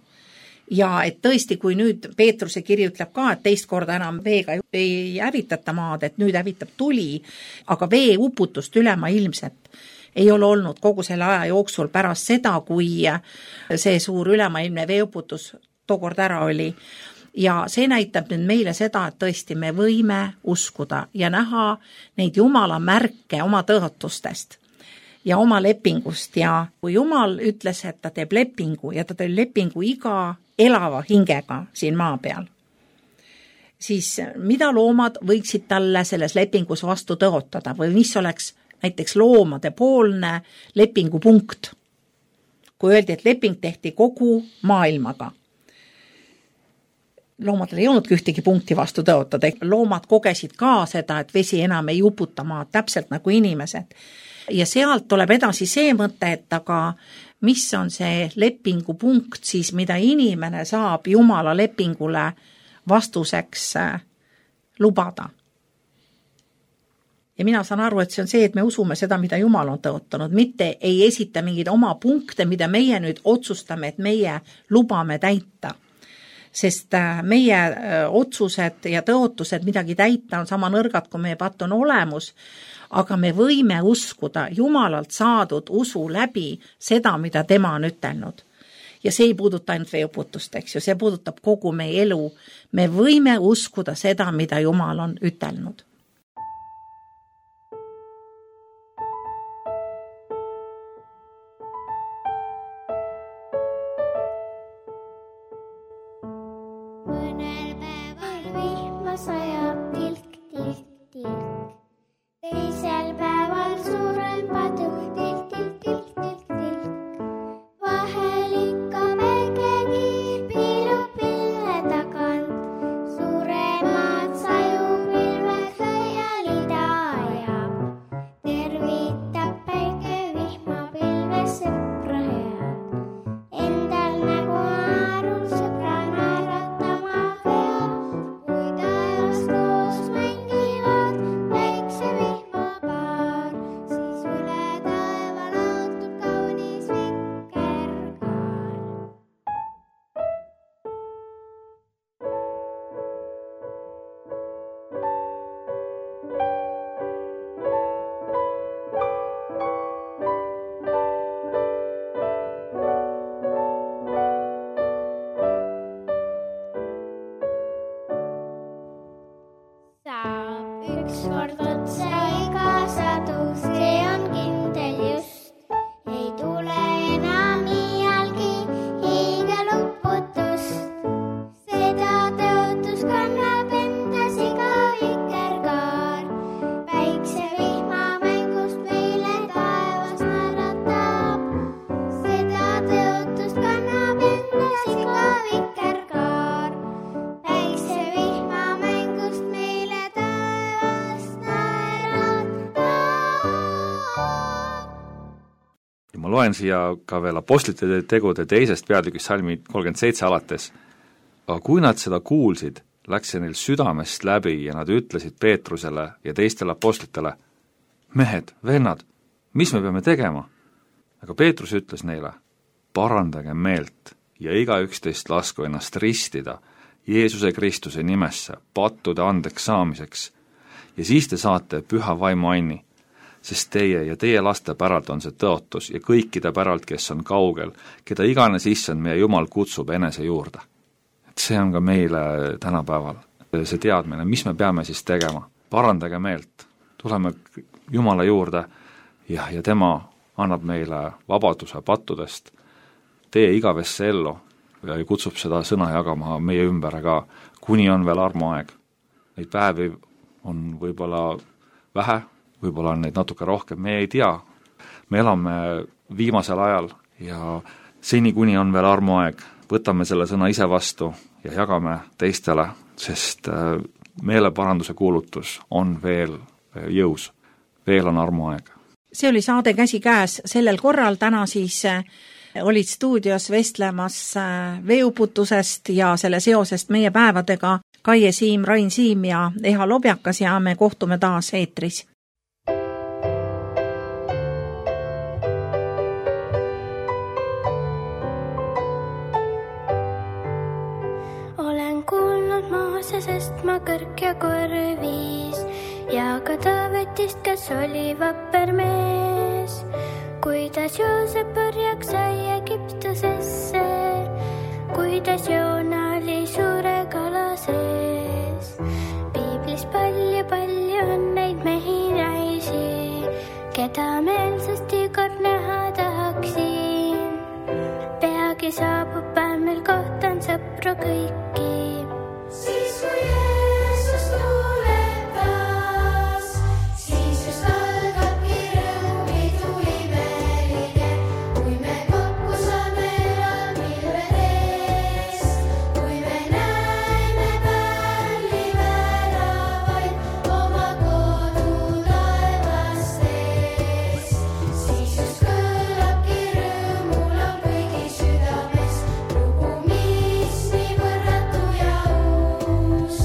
Ja et tõesti, kui nüüd Peetruse kiri ütleb ka, et teist korda enam veega ei hävitata maad, et nüüd hävitab tuli, aga veeuputust ülemaailmset ei ole olnud kogu selle aja jooksul pärast seda, kui see suur ülemaailmne veeuputus tookord ära oli. Ja see näitab nüüd meile seda, et tõesti me võime uskuda ja näha neid Jumala märke oma tõotustest ja oma lepingust. Ja kui Jumal ütles, et ta teeb lepingu ja ta teeb lepingu iga elava hingega siin maa peal, siis mida loomad võiksid talle selles lepingus vastu tõotada või mis oleks näiteks loomade poolne lepingupunkt, kui öeldi, et leping tehti kogu maailmaga. Loomadel ei olnudki ühtegi punkti vastu tõotada, loomad kogesid ka seda, et vesi enam ei uputa maad, täpselt nagu inimesed. Ja sealt tuleb edasi see mõte, et aga mis on see lepingupunkt siis, mida inimene saab Jumala lepingule vastuseks lubada. Ja mina saan aru, et see on see, et me usume seda, mida Jumal on tõotanud, mitte ei esita mingeid oma punkte, mida meie nüüd otsustame, et meie lubame täita. Sest meie otsused ja tõotused midagi täita on sama nõrgad, kui meie patt on olemus, aga me võime uskuda Jumalalt saadud usu läbi seda, mida tema on ütelnud. Ja see ei puuduta ainult veeuputust, eks ju, see puudutab kogu meie elu. Me võime uskuda seda, mida Jumal on ütelnud. Mõnel päeval vihma sajab tilk, tilk, tilk. Teisel päeval suurem paduk, tilk, tilk, tilk, tilk, tilk. Vahel ikka väikegi piilub pilve tagant. Suuremad sajupilved ma loen siia ka veel Apostlite tegude 2. peatükist salmi 37 alates. Aga kui nad seda kuulsid, läks see neil südamest läbi ja nad ütlesid Peetrusele ja teistele apostlitele, mehed, vennad, mis me peame tegema? Aga Peetrus ütles neile, parandage meelt ja igaüks teist lasku ennast ristida Jeesuse Kristuse nimesse pattude andeks saamiseks ja siis te saate püha vaimu anni, sest teie ja teie laste päralt on see tõotus ja kõikide päralt, kes on kaugel, keda iganes issand meie Jumal kutsub enese juurde. Et see on ka meile tänapäeval see teadmine, mis me peame siis tegema. Parandage meelt, tuleme Jumala juurde ja tema annab meile vabaduse pattudest, tee igavesse ellu ja kutsub seda sõna jagama meie ümber, aga kuni on veel armuaeg. Neid päevi on võib-olla vähe, võib-olla on neid natuke rohkem, me ei tea. Me elame viimasel ajal ja seni, kuni on veel armuaeg, võtame selle sõna ise vastu ja jagame teistele, sest meeleparanduse kuulutus on veel jõus, veel on armuaeg. See oli saade Käsikäes sellel korral, täna siis olid stuudios vestlemas veeuputusest ja selle seosest meie päevadega Kaie Siim, Rain Siim ja Eha Lobjakas ja me kohtume taas eetris. Olen kuulnud Moosesest ma kõrg ja korvis ja ka Taavetist, kes oli vapper mees. Kuidas Joosep orjaks sai Egiptusesse, kuidas Joona oli suure kala sees. Piiblis palju on neid mehi naisi, keda meelsasti kord näha tahaksin. Peagi saabub päev, meil kohtan sõpru kõiki. Siis kui Jeesus tuleb taas, siis just algabki rõõmidu imelige, kui me kokku saame pilvedes, kui me näeme pärli väravaid oma kodu taevastes. Siis just kõlabki rõõmulaul kõigi südames, lugu, mis nii võrratu ja uus.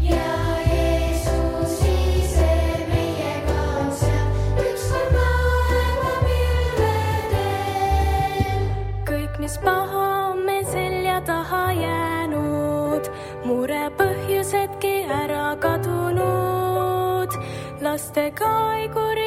Ja Jeesus ise meiega on seal, ükskord maailma pilvedel. Kõik, mis paha on meil selja taha jäänud, mure põhjusedki ära kadunud. Lastega ei kuri